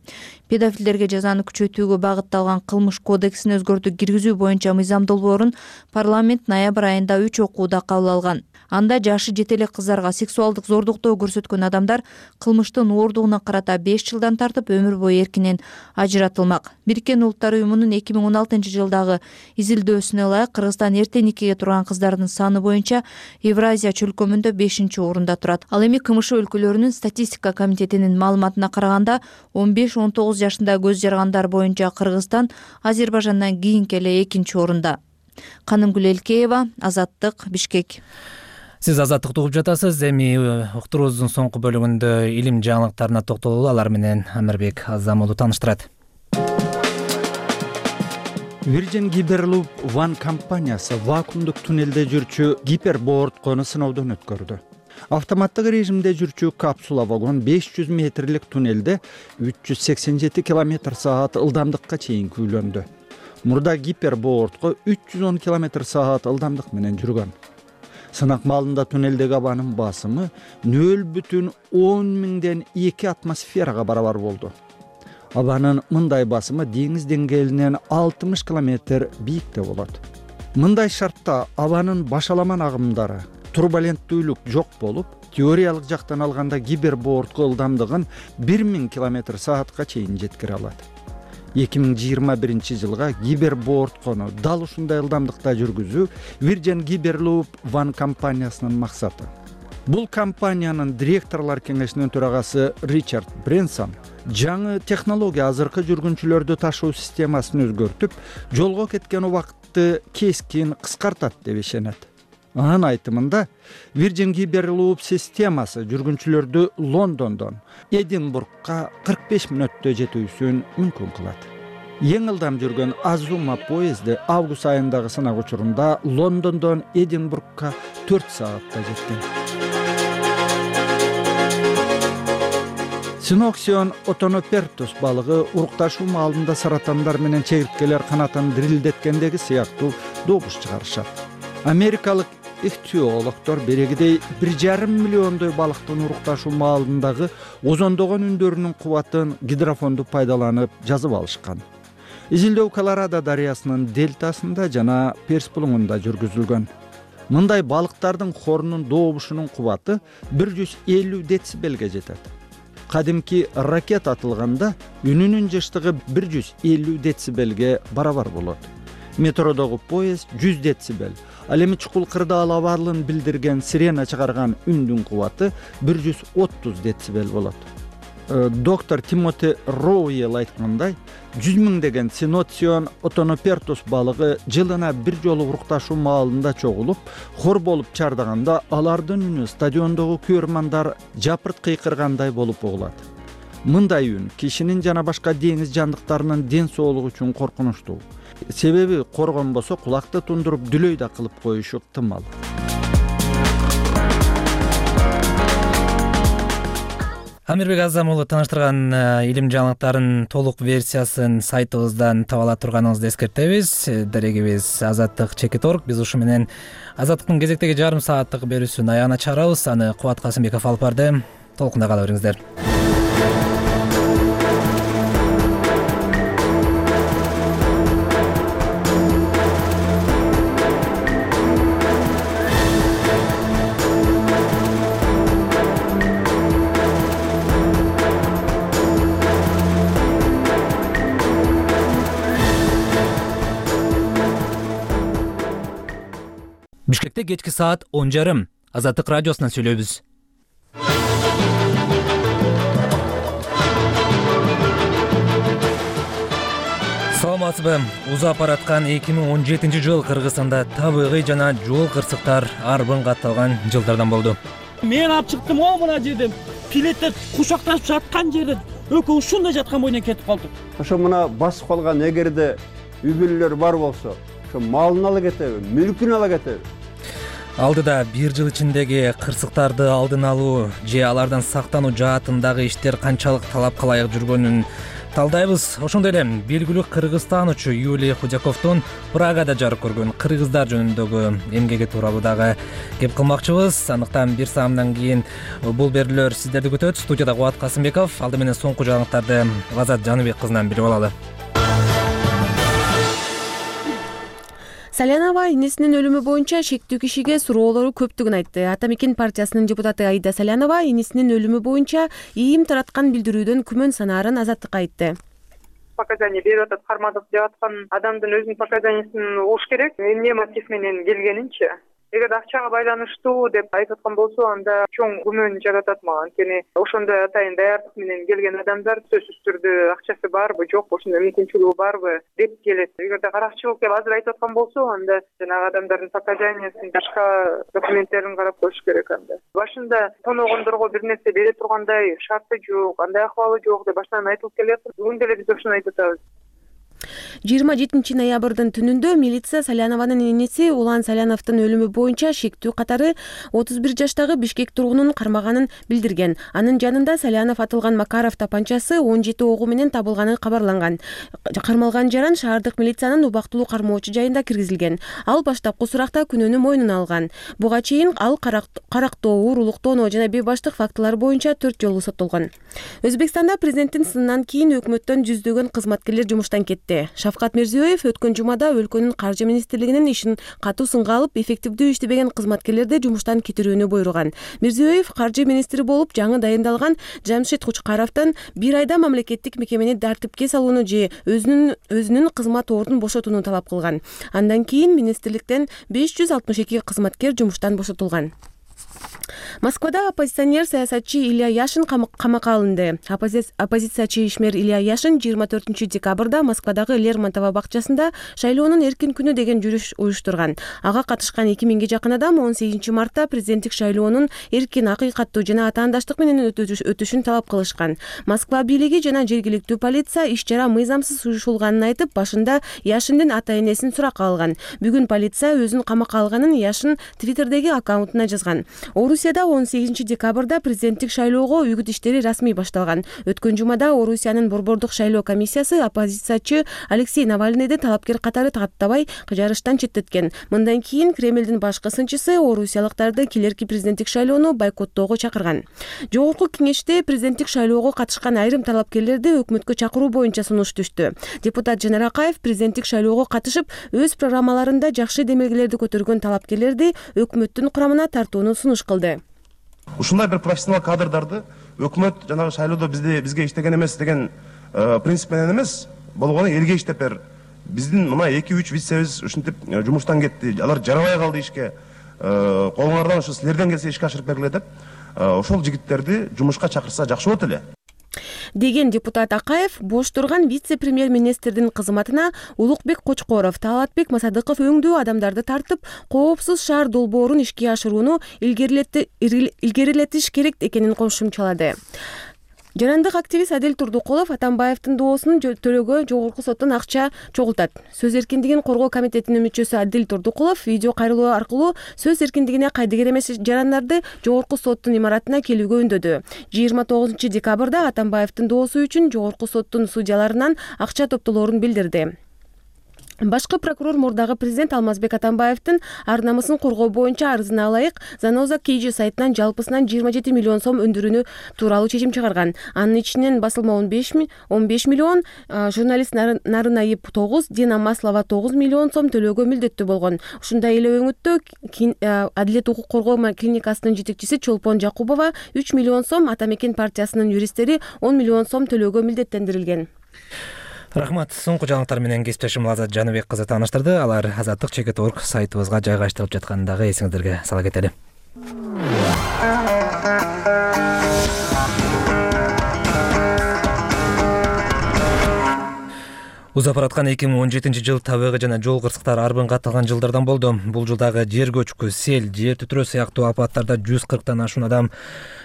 Педофилдерге жазаны күчөтүүгө багытталган кылмыш кодексин өзгөртүү киргизүү боюнча мыйзам долбоорун парламент ноябрь айында үч окууда кабыл алган. Анда жашы жете элек кыздарга сексуалдык зордуктоо көрсөткөн адамдар кылмыштын оордугуна карата беш жылдан тартып өмүр бою эркинен ажыратылмак. Бириккен Улуттар уюмунун эки миң он алтынчы жылдагы изилдөөсүнө ылайык Кыргызстан эрте никеге турган кыздардын саны боюнча Евразия чөлкөмүндө бешинчи орунда турат. Ал эми КМШ өлкөлөрүнүн статистика комитетинин маалыматына караганда он беш он тогуз жашында көз жаргандар боюнча Кыргызстан Азербайжандан кийинки эле экинчи орунда. Канымгүл Элкеева, Азаттык, Бишкек. Сиз Азаттыкты угуп жатасыз. Эми уктуруубуздун соңку бөлүгүндө илим жаңылыктарына токтололу. Алар менен Амирбек Азамолу тааныштырат. Virgin Hyperloop One компаниясы вакуумдук туннелде жүрчү гипербордкону сыноодон өткөрдү. Автоматтык режимде жүрчү капсула вагон беш жүз метрлик туннелде үч жүз сексен жети километр саат ылдамдыкка чейин күүлөндү. Мурда гипербордко үч жүз он километр саат ылдамдык менен жүргөн. Сынак маалында туннелдеги абанын басымы нөл бүтүн он миңден эки атмосферага барабар болду. Абанын мындай басымы деңиз деңгээлинен алтымыш километр бийикте болот. Мындай шартта абанын башаламан агымдары, турбуленттүүлүк жок болуп, теориялык жактан алганда гипербордко ылдамдыгын бир миң километр саатка чейин жеткире алат. эки миң жыйырма биринчи жылга гипербордкону дал ушундай ылдамдыкта жүргүзүү Virgin Hyperloop One компаниясынын максаты. Бул компаниянын директорлор кеңешинин төрагасы Ричард Бренсон жаңы технология азыркы жүргүнчүлөрдү ташуу системасын өзгөртүп, жолго кеткен убакытты кескин кыскартат деп ишенет. Анын айтымында Virgin Hyperloop системасы жүргүнчүлөрдү Лондондон Эдинбургка кырк беш мүнөттө жетүүсүн мүмкүн кылат. Эң ылдам жүргөн Азума поезди август айындагы сынак учурунда Лондондон Эдинбургка төрт саатта жеткен. Синоксион отонопертус балыгы урукташуу маалында саратандар менен чегирткелер канатын дирилдеткендеги сыяктуу добуш чыгарышат. Америкалык ихтиологдор берегидей бир жарым миллиондой балыктын урукташуу маалындагы озондогон үндөрүнүн кубатын гидрофонду пайдаланып жазып алышкан. Изилдөө Колорадо дарыясынын дельтасында жана Перс булуңунда жүргүзүлгөн. Мындай балыктардын хорунун добушунун кубаты бир жүз элүү децибелге жетет. Кадимки ракет атылганда үнүнүн жыштыгы бир жүз элүү децибелге барабар болот. Метродогу поезд жүз децибел, ал эми чукул кырдаал абалын билдирген сирена чыгарган үндүн кубаты бир жүз отуз децибел болот. Доктор Тимоти Роуэл айткандай, жүз миңдеген синоцион отонопертус балыгы жылына бир жолу урукташуу маалында чогулуп, хор болуп чардаганда алардын үнү стадиондогу көрмандар жапырт кыйкыргандай болуп угулат. мындай үн кишинин жана башка деңиз жандыктарынын ден соолугу үчүн коркунучтуу. Себеби коргонбосо кулакты тундуруп дүлөй да кылып коюшу ыктымал. Амирбек Азам уулу тааныштырган илим жаңылыктарын толук версиясын сайтыбыздан таба ала турганыңызды эскертебиз. Дарегибиз Азаттык чекит точка орг. Биз ушу менен Азаттыктын кезектеги жарым сааттык берүүсүн аягына чыгарабыз. Аны Кубат Касымбеков алып барды. Толкунда кала бериңиздер. Бишкекте кечки саат он жарым. Азаттык радиосунан сүйлөйбүз. Саламатсызбы? Узап бараткан эки миң он жетинчи жыл Кыргызстанда табигый жана жол кырсыктар арбын катталган жылдардан болду. Мен алып чыктым го мына жерден. Пилеттер кучакташып жаткан жерде экөө ушундай жаткан бойдон кетип калдык. Ошо мына басып калган эгерде үй бүлөлөр бар болсо, ошо малын ала кетеби, мүлкүн ала кетеби? Алдыда бир жыл ичиндеги кырсыктарды алдын алуу же алардан сактануу жаатындагы иштер канчалык талапка ылайык жүргөнүн талдайбыз. Ошондой эле белгилүү кыргызстанчу Юлия Худяковдун Прагада жарык көргөн кыргыздар жөнүндөгү эмгеги тууралуу дагы кеп кылмакчыбыз. Андыктан бир саамдан кийин бул берүүлөр сиздерди күтөт. Студияда Кубат Касымбеков, алды менен соңку жаңылыктарды Азат Жаныбек кызынан билип алалы. Салянова энесинин өлүмү боюнча шектүү кишиге суроолору көптүгүн айтты. Ата Мекен партиясынын депутаты Аида Салянова энесинин өлүмү боюнча ийим тараткан билдирүүдөн күмөн санаарын Азаттыкка айтты. Показания берип атат, кармадык деп аткан адамдын өзүнүн показаниясын угуш керек. Эмне мотив менен келгенинчи. Эгер акчага байланыштуу деп айтып аткан болсо, анда чоң күмөн жаратат мага. Анткени ошондой атайын даярдык менен келген адамдар сөзсүз түрдө акчасы барбы, жокпу, ошондой мүмкүнчүлүгү барбы деп келет. Эгерде каракчылык деп азыр айтып аткан болсо, анда жанагы адамдардын показаниясын, башка документтерин карап коюш керек анда. Башында тоногондорго бир нерсе бере тургандай шарты жок, андай акыбалы жок деп баштан айтылып келет. Бүгүн деле биз ошону айтып атабыз. жыйырма жетинчи ноябрдын түнүндө милиция Салянованын энеси Улан Саляновдун өлүмү боюнча шектүү катары отуз бир жаштагы Бишкек тургунун кармаганын билдирген. Анын жанында Салянов атылган Макаров тапанчасы он жети огу менен табылганы кабарланган. Кармалган жаран шаардык милициянын убактылуу кармоочу жайында киргизилген. Ал баштапкы суракта күнөөнү мойнуна алган. Буга чейин ал карактоо, уруулуктоону жана бейбаштык фактылары боюнча төрт жолу соттолгон. Өзбекстанда президенттин сынынан кийин өкмөттөн жүздөгөн кызматкерлер жумуштан кетти. Шавкат Мирзиёев өткөн жумада өлкөнүн каржы министрлигинин ишин катуу сынга алып, эффективдүү иштебеген кызматкерлерди жумуштан кетирүүнү буйруган. Мирзиёев каржы министри болуп жаңы дайындалган Жамшит Кучкаровдон бир айда мамлекеттик мекемени тартипке салууну же өзүнүн өзүнүн кызмат ордун бошотууну талап кылган. Андан кийин министрликтен беш жүз алтымыш эки кызматкер жумуштан бошотулган. Москвада оппозиционер саясатчы Илья Яшин камакка алынды. Оппозициячы ишмер Илья Яшин жыйырма төртүнчү декабрда Москвадагы Лермонтова бакчасында шайлоонун эркин күнү деген жүрүш уюштурган. Ага катышкан эки миңге жакын адам он сегизинчи мартта президенттик шайлоонун эркин, акыйкаттуу жана атаандаштык менен өтүшүн талап кылышкан. Москва бийлиги жана жергиликтүү полиция иш чара мыйзамсыз уюшулганын айтып, башында Яшиндин ата-энесин суракка алган. Бүгүн полиция өзүн камакка алганын Яшин Твиттердеги аккаунтуна жазган. Орусияда он сегизинчи декабрда президенттик шайлоого үгүт иштери расмий башталган. Өткөн жумада Орусиянын борбордук шайлоо комиссиясы оппозициячы Алексей Навальныйды талапкер катары каттабай жарыштан четтеткен. Мындан кийин Кремлдин башкы сынчысы орусиялыктарды келерки президенттик шайлоону бойкоттоого чакырган. Жогорку кеңеште президенттик шайлоого катышкан айрым талапкерлерди өкмөткө чакыруу боюнча сунуш түштү. Депутат Жанар Акаев президенттик шайлоого катышып, өз программаларында жакшы демелгелерди көтөргөн талапкерлерди өкмөттүн курамына тартууну сунуш кылды. Ушундай бир профессионал кадрдарды өкмөт жанагы шайлоодо бизде бизге иштеген эмес деген принцип менен эмес, болгону элге иштеп бер. Биздин мына эки үч вицебиз ушинтип жумуштан кетти. Алар жарабай калды ишке. Колуңардан ушу силерден келсе ишке ашырып бергиле деп, ошол жигиттерди жумушка чакырса жакшы болот эле деген депутат Акаев бош турган вице-премьер-министрдин кызматына Улукбек Кочкоров, Талатбек Масадыков өңдүү адамдарды тартып, коопсуз шаар долбоорун ишке ашырууну илгерилетиш керек экенин кошумчалады. жарандык активист Адил Турдукулов Атамбаевдин доосунун төлөөгө жогорку соттон акча чогултат. Сөз эркиндигин коргоо комитетинин мүчөсү Адил Турдукулов видео кайрылуу аркылуу сөз эркиндигине кайдыгер эмес жарандарды жогорку соттун имаратына келүүгө үндөдү. жыйырма тогузунчу декабрда Атамбаевдин доосу үчүн жогорку соттун судьяларынан акча топтолоорун билдирди. Башкы прокурор мурдагы президент Алмазбек Атамбаевдин ар намысын коргоо боюнча арызына ылайык Заноза Кейджи сайтынан жалпысынан жыйырма жети миллион сом өндүрүүнү тууралуу чечим чыгарган. Анын ичинен басылма он беш миллион, журналист Нарынаип тогуз, Дина Маслова тогуз миллион сом төлөөгө милдеттүү болгон. Ушундай эле өңүттө Адилет укук коргоо клиникасынын жетекчиси Чолпон Жакубова үч миллион сом, Ата Мекен партиясынын юристтери он миллион сом төлөөгө милдеттендирилген. Рахмат. Соңку жаңылыктар менен кесиптешим Азат Жаныбек кызы тааныштырды. Алар азаттык чекит точка орг сайтыбызга жайгаштырылып жатканын дагы эсиңиздерге сала кетели. Узап бараткан эки миң он жетинчи жыл табигый жана жол кырсыктары арбын катталган жылдардан болду. Бул жылдагы жер көчкү, сел, жер титирөө сыяктуу апаттарда жүз кырктан ашуун адам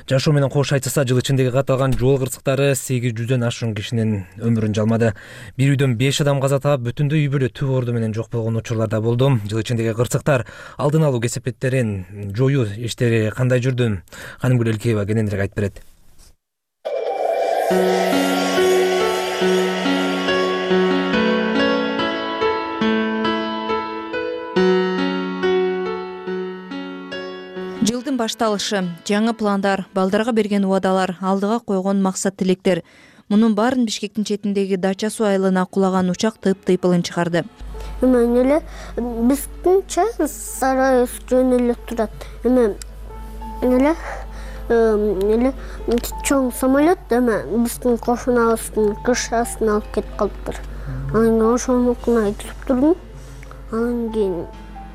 жашоо менен кош айтышса, жыл ичиндеги катталган жол кырсыктары сегиз жүздөн ашуун кишинин өмүрүн жалмады. Бир үйдөн беш адам каза таап, бүтүндөй үй бүлө түп орду менен жок болгон учурлар да болду. Жыл ичиндеги кырсыктар алдын алуу кесепеттерин жоюу иштери кандай жүрдү? Ханимгүл Элкеева кененирээк айтып берет. Жылдын башталышы, жаңы пландар, балдарга берген убадалар, алдыга койгон максат тилектер. Мунун баарын Бишкектин четиндеги Дача суу айылына кулаган учак тыйып-тыйпылын чыгарды. Эме эле биздинче сарай жөн эле турат. Эме эле эле чоң самолет эме биздин кошунабыздын кышасын алып кетип калыптыр. Анан ошонукуна айтып турдум. Анан кийин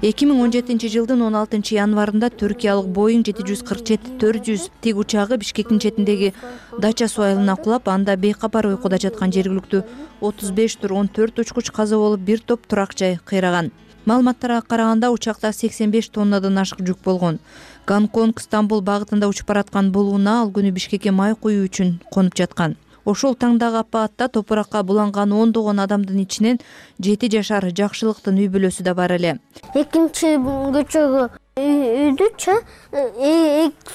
эки миң он жетинчи жылдын он алтынчы январында түркиялык Боeing жети жүз кырк жети төрт жүз тиг учагы Бишкектин четиндеги Дача суу айылына кулап, анда бейкапар уйкуда жаткан жергиликтүү отуз беш тур он төрт учкуч каза болуп, бир топ турак жай кыйраган. Маалыматтарга караганда учакта сексен беш тоннадан ашык жүк болгон. Гонконг Стамбул багытында учуп бараткан бул унаа ал күнү Бишкекке май куюу үчүн конуп жаткан. Ошол таңдагы апатта топуракка буланган ондогон адамдын ичинен жети жашар Жакшылыктын үй бүлөсү да бар эле. Экинчи көчөгө үйдүчө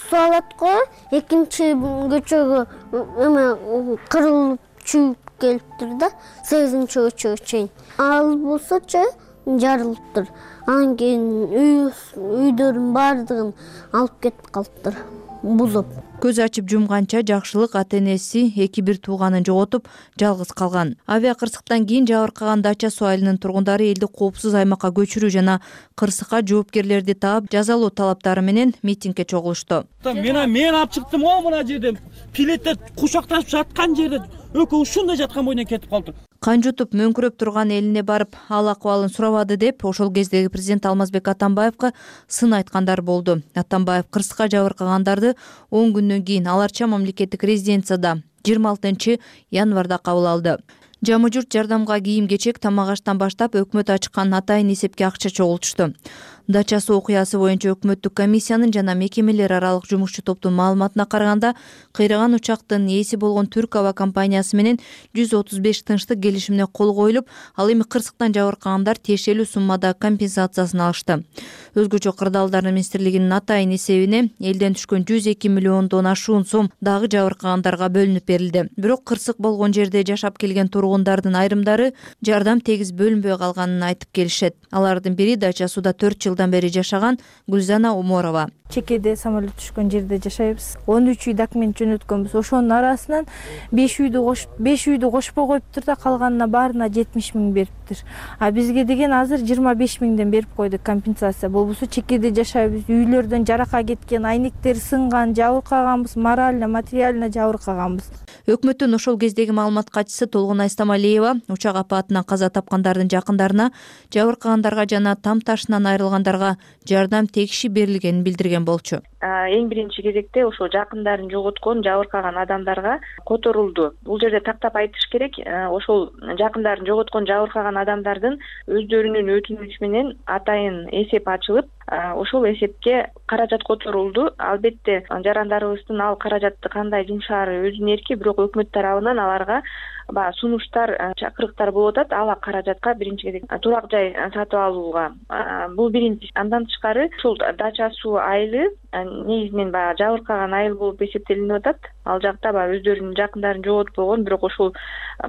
суу алат го, экинчи көчөгө эме кырылып чүйүп келиптир да, сегизинчи көчөгө чейин. Ал болсочу жарылыптыр. Анан кийин үйдөрдүн баардыгын алып кетип калыптыр, бузуп. Көз ачып жумганча Жакшылык ата энеси эки бир тууганын жоготуп, жалгыз калган. Авиа кырсыктан кийин жабыркаган Дача суу айылынын тургундары элди коопсуз аймакка көчүрүү жана кырсыкка жоопкерлерди таап, жазалоо талаптары менен митингге чогулушту. Мен мен алып чыктым го мына жерден. Пилеттер кучакташып жаткан жерде экөө ушундай жаткан бойдон кетип калды. Кан жутуп мөңкүрөп турган элине барып, ал акыбалын сурабады деп, ошол кездеги президент Алмазбек Атамбаевга сын айткандар болду. Атамбаев кырсыкка жабыркагандарды он күндөн кийин Аларча мамлекеттик резиденцияда жыйырма алтынчы январда кабыл алды. Жамы журт жардамга кийим-кечек, тамак-аштан баштап өкмөт ачкан атайын эсепке акча чогултушту. Дача суу окуясы боюнча өкмөттүк комиссиянын жана мекемелер аралык жумушчу топтун маалыматына караганда, кыйраган учактын ээси болгон Түрк аба компаниясы менен жүз отуз беш тынчтык келишимине кол коюлуп, ал эми кырсыктан жабыркагандар тиешелүү суммада компенсациясын алышты. Өзгөчө кырдаалдар министрлигинин атайын эсебине элден түшкөн жүз эки миллиондон ашуун сом дагы жабыркагандарга бөлүнүп берилди. Бирок кырсык болгон жерде жашап келген тургундардын айрымдары жардам тегиз бөлүнбөй калганын айтып келишет. Алардын бири Дача сууда төрт жылдан бери жашаган Гүлзана Уморова. Чекеде самолет түшкөн жерде жашайбыз. он үч үй документ жөнөткөнбүз. Ошонун арасынан беш үйдү кош беш үйдү кошпой коюптур да, калганына баарына жетимиш миң бериптир. А бизге деген азыр жыйырма беш миңден берип койдук компенсация. Болбосо чекеде жашайбыз. Үйлөрдөн жарака кеткен, айнектер сынган, жабыркаганбыз, морально, материально жабыркаганбыз. Өкмөттүн ошол кездеги маалымат катчысы Толгонай Стамалиева учак апатынан каза тапкандардын жакындарына, жабыркагандарга жана там ташынан айрылгандарга жардам тегиши берилгенин билдирген болчу. эң биринчи кезекте ошол жакындарын жоготкон, жабыркаган адамдарга которулду. Бул жерде тактап айтыш керек, ошол жакындарын жоготкон, жабыркаган адамдардын өздөрүнүн өтүнүчү менен атайын эсеп ачылып, ошол эсепке каражат которулду. Албетте жарандарыбыздын ал каражатты кандай жумшаары өзүнүн эрки, бирок өкмөт тарабынан аларга баягы сунуштар, чакырыктар болуп атат. Ал каражатка биринчи кезек турак жай сатып алууга. Бул биринчи. Андан тышкары ушул дача суу айылы негизинен баягы жабыркаган айыл болуп эсептелинип атат. Ал жакта баягы өздөрүнүн жакындарын жоготпогон, бирок ошол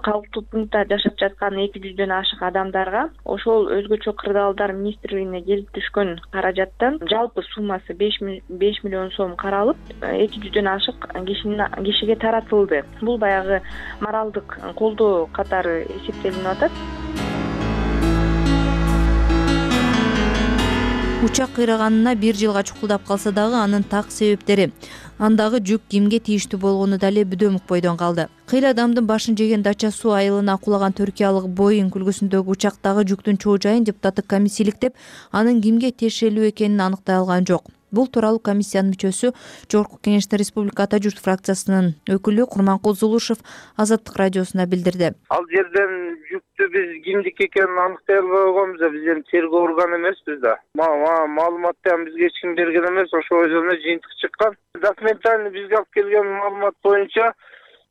калктуу пунктта жашап жаткан эки жүздөн ашык адамдарга ошол өзгөчө кырдаалдар министрлигине келип түшкөн каражаттан жалпы суммасы беш миллион сом каралып, эки жүздөн ашык кишинин кишиге таратылды. Бул баягы моралдык колдоо катары эсептелинип атат. Учак кыйраганына бир жылга чукулдап калса дагы анын так себептери, андагы жүк кимге тийиштүү болгону дале бүдөмүк бойдон калды. Кыйла адамдын башын жеген дача суу айылына кулаган түркиялык Боинг үлгүсүндөгү учактагы жүктүн чоо жайын депутаттык комиссия иликтеп, анын кимге тиешелүү экенин аныктай алган жок. Бул тууралуу комиссиянын мүчөсү, Жогорку Кеңеште Республика Ата журт фракциясынын өкүлү Курманкул Зулушев Азаттык радиосуна билдирди. Ал жерден жүктү биз кимдики экенин аныктай албай койгонбуз да, биз эми тергөө органы эмеспиз да. Маалыматты бизге эч ким берген эмес, ошол өзүнө жыйынтык чыккан. Документально бизге алып келген маалымат боюнча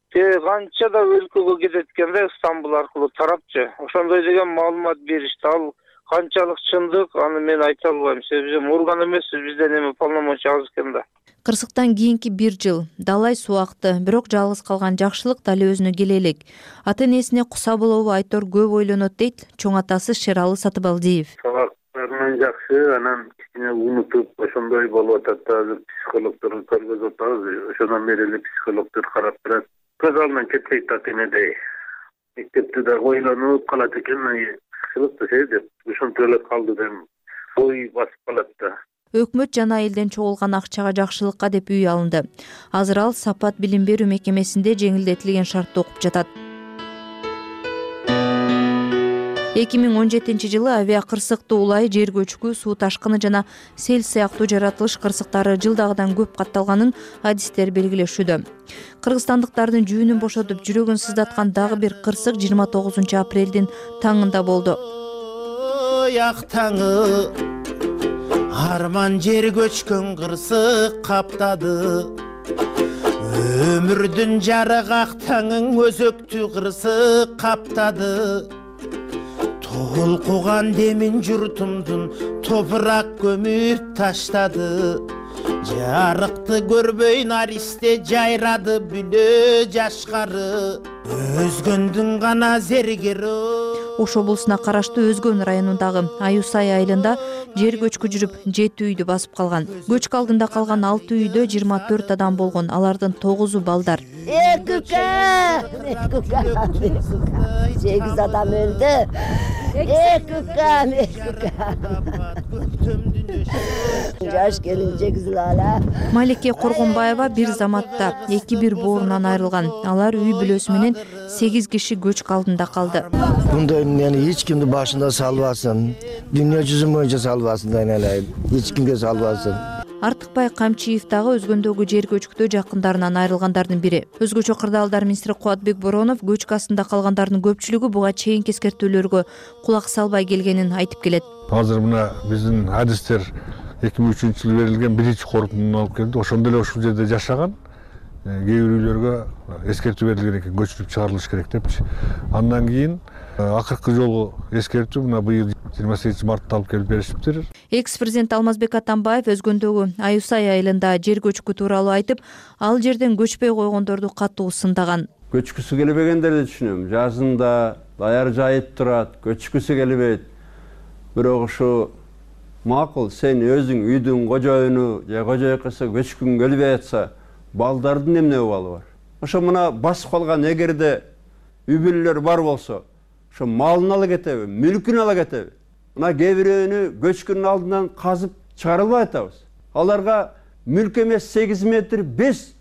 канча да өлкөгө кетет экен да, Стамбул аркылуу тарапчы. Ошондой деген маалымат беришти. Ал канчалык чындык, аны мен айта албайм. Себеби биз орган эмеспиз, бизден эми полномочия аз экен да. Кырсыктан кийинки бир жыл далай суу акты, бирок жалгыз калган жакшылык дале өзүнө келе элек. Ата энесине куса болобу Айтор көп ойлонот дейт чоң атасы Шералы Сатыбалдиев. Сабактарынан жакшы, анан кичине унутуп ошондой болуп атат да, азыр психологдорду көргөзүп атабыз. Ошондон бери эле психологдор карап турат. Көз алдынан кетпейт ата энедей. Мектепте да ойлонуп калат экен, кызыкты сей деп ошентип эле калды деп ой басып калат да. Өкмөт жана элден чогулган акчага жакшылыкка деп үй алынды. Азыр ал Сапат билим берүү мекемесинде жеңилдетилген шартта окуп жатат. эки миң он жетинчи жылы авиа кырсыктуу улай, жер көчкү, суу ташкыны жана сел сыяктуу жаратылыш кырсыктары жылдагыдан көп катталганын адистер белгилешүүдө. Кыргызстандыктардын жүүнүн бошотуп, жүрөгүн сыздаткан дагы бир кырсык жыйырма тогузунчу апрелдин таңында болду. Ак таңы арман жер көчкөн кырсык каптады. Өмүрдүн жарык ак таңын өзөктүү кырсык каптады. Толкуган демин журтумдун топурак көмүп таштады. Жарыкты көрбөй наристе жайрады бүлө жашкары. Өзгөндүн гана зергери. Ош облусуна караштуу Өзгөн районундагы Аюсай айылында жер көчкү жүрүп жети үйдү басып калган. Көчкү алдында калган алты үйдө жыйырма төрт адам болгон, алардын тогузу балдар. Экүка! сегиз адам өлдү. Экүка, экүка. Жаш келинчек зылала. Малике Коргонбаева бир заматта эки бир боорунан айрылган. Алар үй бүлөсү менен сегиз киши көчкү алдында калды. Мындай мени эч кимди башында салбасын. Дүйнө жүзү боюнча салбасын, айналайын. Эч кимге салбасын. Артыкбай Камчиев дагы Өзгөндөгү жер көчкүдө жакындарынан айрылгандардын бири. Өзгөчө кырдаалдар министри Кубатбек Боронов көчкү астында калгандардын көпчүлүгү буга чейинки эскертүүлөргө кулак салбай келгенин айтып келет. Азыр мына биздин адистер эки миң үчүнчү жылы берилген биринчи корутундуну алып келди. Ошондо эле ушул жерде жашаган кээ бир үйлөргө эскертүү берилген экен, көчүрүп чыгарылыш керек депчи. Андан кийин акыркы жолу эскертүү мына быйыл жыйырма сегизинчи мартта алып келип беришиптир. Экс-президент Алмазбек Атамбаев Өзгөндөгү Аюсай айылында жер көчкү тууралуу айтып, ал жерден көчпөй койгондорду катуу сындаган. Көчкүсү келбегендерди түшүнөм. Жазында даяр жайып турат, көчкүсү келбейт. Бирок ушу макул, сен өзүң үйдүн кожоюну же кожоюкасы көчкүң келбей атса, балдардын эмне абалы бар? Ошо мына басып калган эгерде үй бүлөлөр бар болсо, ошо малын ала кетеби, мүлкүн ала кетеби? Мына кээ бирөөнү көчкүнүн алдынан казып чыгарылбай атабыз. Аларга мүлк эмес сегиз метр беш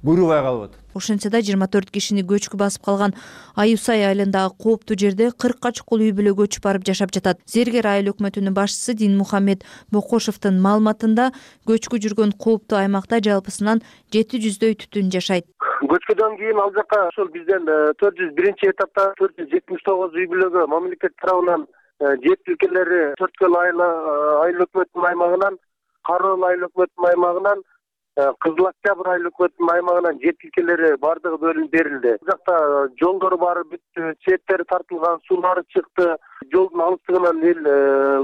буйрубай калып атат. Ошентсе да жыйырма төрт кишини көчкү басып калган Аюсай айылындагы кооптуу жерде кыркка чукул үй бүлө көчүп барып жашап жатат. Зергер айыл өкмөтүнүн башчысы Динмухаммед Бокошовдун маалыматында көчкү жүргөн кооптуу аймакта жалпысынан жети жүздөй түтүн жашайт. Көчкөдөн кийин ал жака ошол бизден төрт жүз биринчи этапта төрт жүз жетимиш тогуз үй бүлөгө мамлекет тарабынан жер тилкелери Төрткөл айыл өкмөтүнүн аймагынан, Кароол айыл өкмөтүнүн аймагынан, Кызыл Октябрь айыл өкмөтүнүн аймагынан жер тилкелери бардыгы бөлүнүп берилди. Бул жакта жолдор бары бүттү, четтери тартылган, суулары чыкты. Жолдун алыстыгынан эл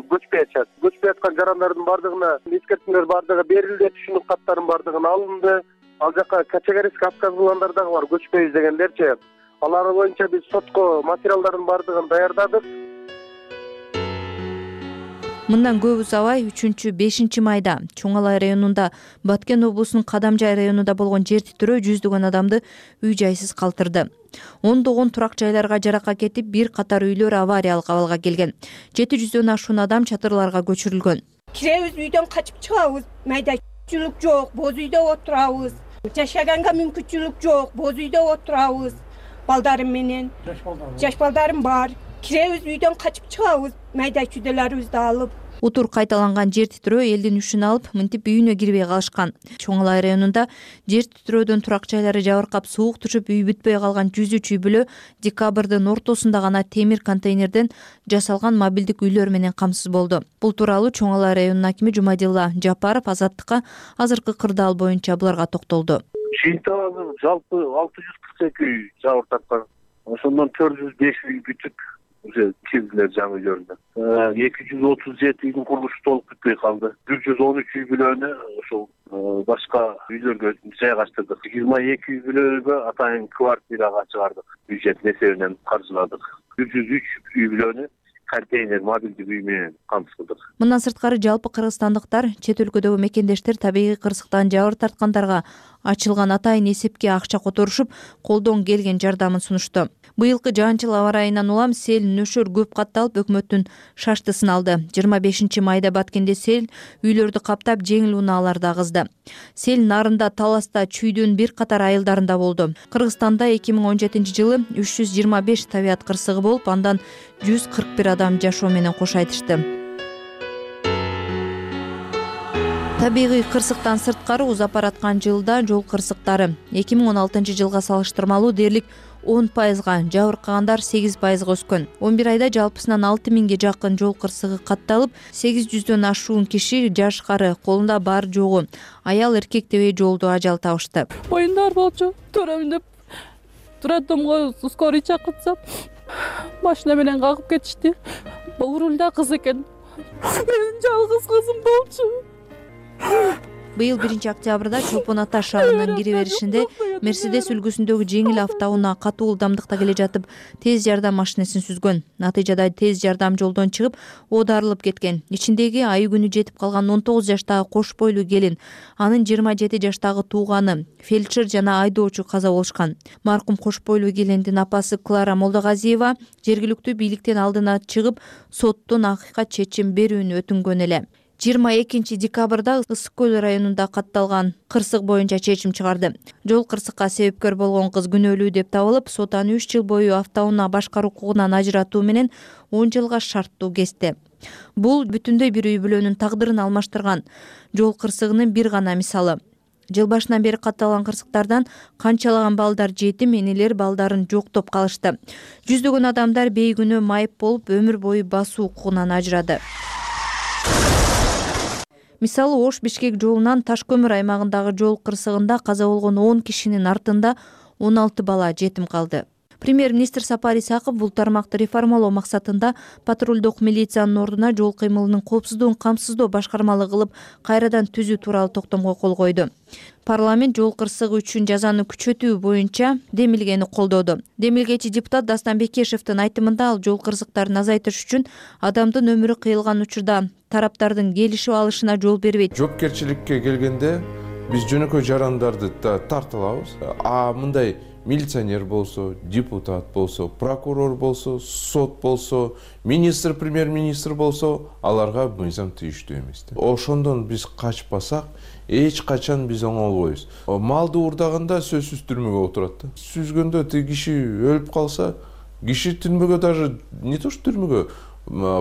көчпөй атат. Көчпөй аткан жарандардын бардыгына эскертүүлөр бардыгы берилди, түшүнүк каттарын бардыгын алынды. Ал жака Качагарский отказ кылгандар дагы бар, көчпөйбүз дегендерчи. Алар боюнча биз сотко материалдардын бардыгын даярдадык. Мындан көп узабай үчүнчү бешинчи майда Чоң Алай районунда Баткен облусунун Кадамжай районунда болгон жер титирөө жүздөгөн адамды үй жайсыз калтырды. Ондогон турак жайларга жаракат кетип, бир катар үйлөр авариялык абалга келген. жети жүздөн ашуун адам чатырларга көчүрүлгөн. Киребиз, үйдөн качып чыгабыз. Майда мүмкүнчүлүк жок, боз үйдө отурабыз. Жашаганга мүмкүнчүлүк жок, боз үйдө отурабыз. Балдарым менен, жаш балдарым бар. Киребиз, үйдөн качып чыгабыз, майда чүйдөлөрүбүздү алып. Утур кайталанган жер титирөө элдин үчүн алып, мынтип үйүнө кирбей калышкан. Чоң Алай районунда жер титирөөдөн турак жайлары жабыркап, суук түшүп, үй бүтпөй калган жүз үч үй бүлө декабрдын ортосунда гана темир контейнерден жасалган мобилдик үйлөр менен камсыз болду. Бул тууралуу Чоң Алай районунун акими Жумадилла Жапаров Азаттыкка азыркы кырдаал боюнча буларга токтолду. Жыйынтыгы жалпы алты жүз кырк эки үй жабыр тарткан. Ошондон төрт жүз беш үй бүтүп уже кирдилер жаңы үйлөрүнө. эки жүз отуз жети үйдүн курулушу толук бүтпөй калды. бир жүз он үч үй бүлөнү ошол башка үйлөргө жайгаштырдык. жыйырма эки үй бүлөгө атайын квартирага чыгардык. Бюджеттин эсебинен каржыладык. бир жүз үч үй бүлөнү контейнер мобилдик үй менен камсыздык. Мындан сырткары жалпы кыргызстандыктар чет өлкөдөгү мекендештер табигый кырсыктан жабыр тарткандарга ачылган атайын эсепке акча которушуп, колдон келген жардамын сунушту. Быйылкы жаанчыл аба ырайынан улам сел нөшөр көп катталып, өкмөттүн шаштысын алды. жыйырма бешинчи майда Баткенде сел үйлөрдү каптап, жеңил унааларды агызды. Сел нарында, Таласта, Чүйдүн бир катар айылдарында болду. Кыргызстанда эки миң он жетинчи жылы үч жүз жыйырма беш табият кырсыгы болуп, андан жүз кырк бир адам жашоо менен кош айтышты. Табигый кырсыктан сырткары узап бараткан жылда жол кырсыктары эки миң он алтынчы жылга салыштырмалуу дээрлик он пайызга, жабыркагандар сегиз пайызга өскөн. он бир айда жалпысынан алты миңге жакын жол кырсыгы катталып, сегиз жүздөн ашуун киши жаш-кары, колунда бар жогу аял эркек дебей жолдо ажал табышты. Оюндар болчу, төрөмүн деп роддомго скорый чакыртсам, машина менен кагып кетишти. Бул рулда кыз экен. Менин жалгыз кызым болчу. Быйыл биринчи октябрда Чолпон Ата шаарынын кире беришинде Мерседес үлгүсүндөгү жеңил автоунаа катуу ылдамдыкта келе жатып, тез жардам машинесин сүзгөн. Натыйжада тез жардам жолдон чыгып, оодарылып кеткен. Ичиндеги айы күнү жетип калган он тогуз жаштагы кош бойлуу келин, анын жыйырма жети жаштагы тууганы, фельдшер жана айдоочу каза болушкан. Маркум кош бойлуу келиндин апасы Клара Молдогазиева жергиликтүү бийликтен алдына чыгып, соттон акыйкат чечим берүүнү өтүнгөн эле. жыйырма экинчи декабрда Ысык көл районунда катталган кырсык боюнча чечим чыгарды. Жол кырсыкка себепкер болгон кыз күнөөлүү деп табылып, сот аны үч жыл бою автоунаа башкаруу укугунан ажыратуу менен он жылга шарттуу кести. Бул бүтүндөй бир үй бүлөнүн тагдырын алмаштырган жол кырсыгынын бир гана мисалы. Жыл башынан бери катталган кырсыктардан канчалаган балдар жетим, энелер балдарын жоктоп калышты. Жүздөгөн адамдар бейгүнөө майып болуп, өмүр бою басуу укугунан ажырады. Мисалы, Ош-Бишкек жолунан Таш көмүр аймагындагы жол кырсыгында каза болгон он кишинин артында он алты бала жетим калды. Премьер-министр Сапар Исаков бул тармакты реформалоо максатында патрулдук милициянын ордуна жол кыймылынын коопсуздугун камсыздоо башкармалык кылып, кайрадан түзүү тууралуу токтомго кол койду. Парламент жол кырсыгы үчүн жазаны күчөтүү боюнча демилгени колдоду. Демилгечи депутат Дастан Бекешевдин айтымында, ал жол кырсыктарын азайтыш үчүн адамдын өмүрү кыйылган учурда тараптардын келишип алышына жол бербейт. Жоопкерчиликке келгенде биз жөнөкөй жарандарды тартылабыз. А мындай милиционер болсо, депутат болсо, прокурор болсо, сот болсо, министр, премьер-министр болсо, аларга мыйзам тийиштүү эмес. Ошондон биз качпасак, эч качан биз оңолбойбуз. Малды уурдаганда сөзсүз түрмөгө отурат да. Сүзгөндө тиги киши өлүп калса, киши түрмөгө даже не то что түрмөгө,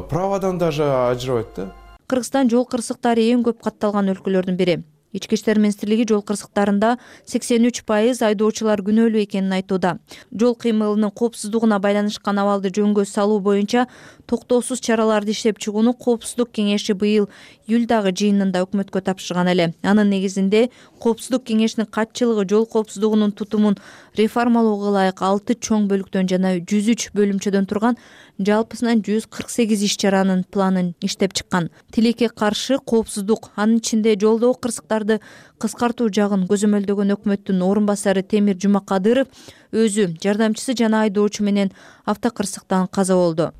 правадан даже ажырабайт да. Кыргызстан жол кырсыктары эң көп катталган өлкөлөрдүн бири. Ички иштер министрлиги жол кырсыктарында сексен үч пайыз айдоочулар күнөөлүү экенин айтууда. Жол кыймылынын коопсуздугуна байланышкан абалды жөнгө салуу боюнча токтоосуз чараларды иштеп чыгууну Коопсуздук кеңеши быйыл июлдагы жыйынында өкмөткө тапшырган эле. Анын негизинде Коопсуздук кеңешинин катчылыгы жол коопсуздугунун тутумун реформалоого ылайык алты чоң бөлүктөн жана жүз үч бөлүмчөдөн турган жалпысынан жүз кырк сегиз иш чаранын планын иштеп чыккан. Тилекке каршы коопсуздук, анын ичинде жолдогу кырсыктарды кыскартуу жагын көзөмөлдөгөн өкмөттүн орун басары Темир Жумакадыров өзү, жардамчысы жана айдоочу менен автокырсыктан каза болду.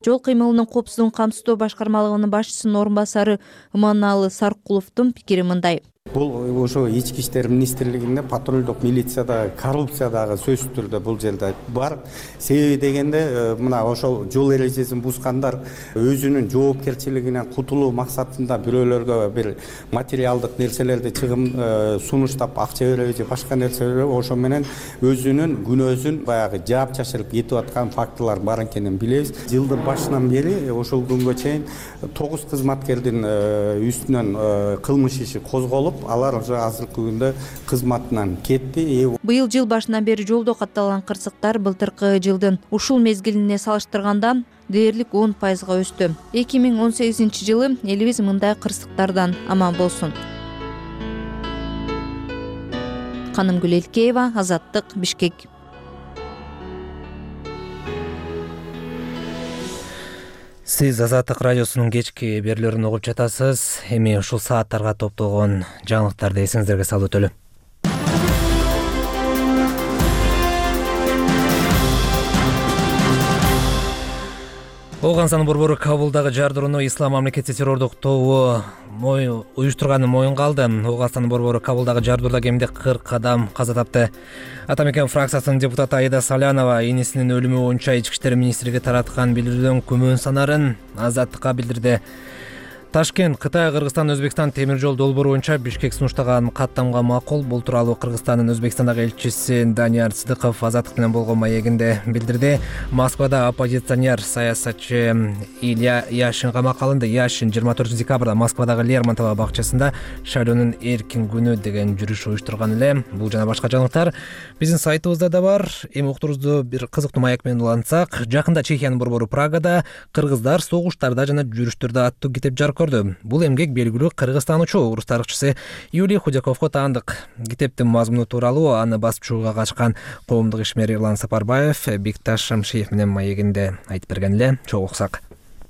Жол кыймылынын коопсуздугун камсыздоо башкармалыгынын башчысынын орун басары Иманалы Саркуловдун пикири мындай. Бул ошо ички иштер министрлигинде патрулдук милицияда коррупция дагы сөзсүз түрдө бул жерде бар. Себеби дегенде мына ошол жол эрежесин бузгандар өзүнүн жоопкерчилигинен кутулуу максатында бирөөлөргө бир материалдык нерселерди чыгым сунуштап акча береби же башка нерсе береби, ошо менен өзүнүн күнөөсүн баягы жаап чашырып кетип аткан фактылар бар экенин билебиз. Жылдын башынан бери ошол күнгө чейин тогуз кызматкердин үстүнөн кылмыш иши козголуп, алар уже азыркы күндө кызматынан кетти. Быйыл жыл башынан бери жолдо катталган кырсыктар былтыркы жылдын ушул мезгилине салыштырганда дээрлик он пайызга өстү. эки миң он сегизинчи жылы элибиз мындай кырсыктардан аман болсун. Канымгүл Элкеева, Азаттык, Бишкек. Сиз Азаттык радиосунун кечки берүүлөрүн угуп жатасыз. Эми ушул сааттарга топтолгон жаңылыктарды эсиңиздерге салып өтөлү. Ооган борбору Кабулдагы жардырууну Ислам мамлекети террордук тобу уюштурганын моюнга алды. Ооган борбору Кабулдагы жардырууда кеминде кырк адам каза тапты. Атамекен фракциясынын депутаты Аида Салянова энесинин өлүмү боюнча ички иштер министрлиги тараткан билдирүүдөн күмөн санарын Азаттыкка билдирди. Ташкент, Кытай, Кыргызстан, Өзбекстан темир жол долбоору боюнча Бишкек сунуштаган каттамга макул. Бул тууралуу Кыргызстандын Өзбекстандагы элчиси Данияр Сыдыков Азаттык менен болгон маегинде билдирди. Москвада оппозиционер саясатчы Илья Яшин камакка алынды. Яшин жыйырма төртүнчү декабрда Москвадагы Лермонтов бакчасында шайлоонун эркин күнү деген жүрүш уюштурган эле. Бул жана башка жаңылыктар биздин сайтыбызда да бар. Эми уктуруңузду бир кызыктуу маек менен улантсак, жакында Чехиянын борбору Прагада кыргыздар согуштарда жана жүрүштөрдө аттуу китеп жарык көрдү. Бул эмгек белгилүү кыргызстанчу орус тарыхчысы Юлий Худяковго таандык. Китептин мазмуну тууралуу аны басып чыгууга катышкан коомдук ишмер Эрлан Сапарбаев Бикташ Шамшиев менен маегинде айтып берген эле. Чогуу уксак.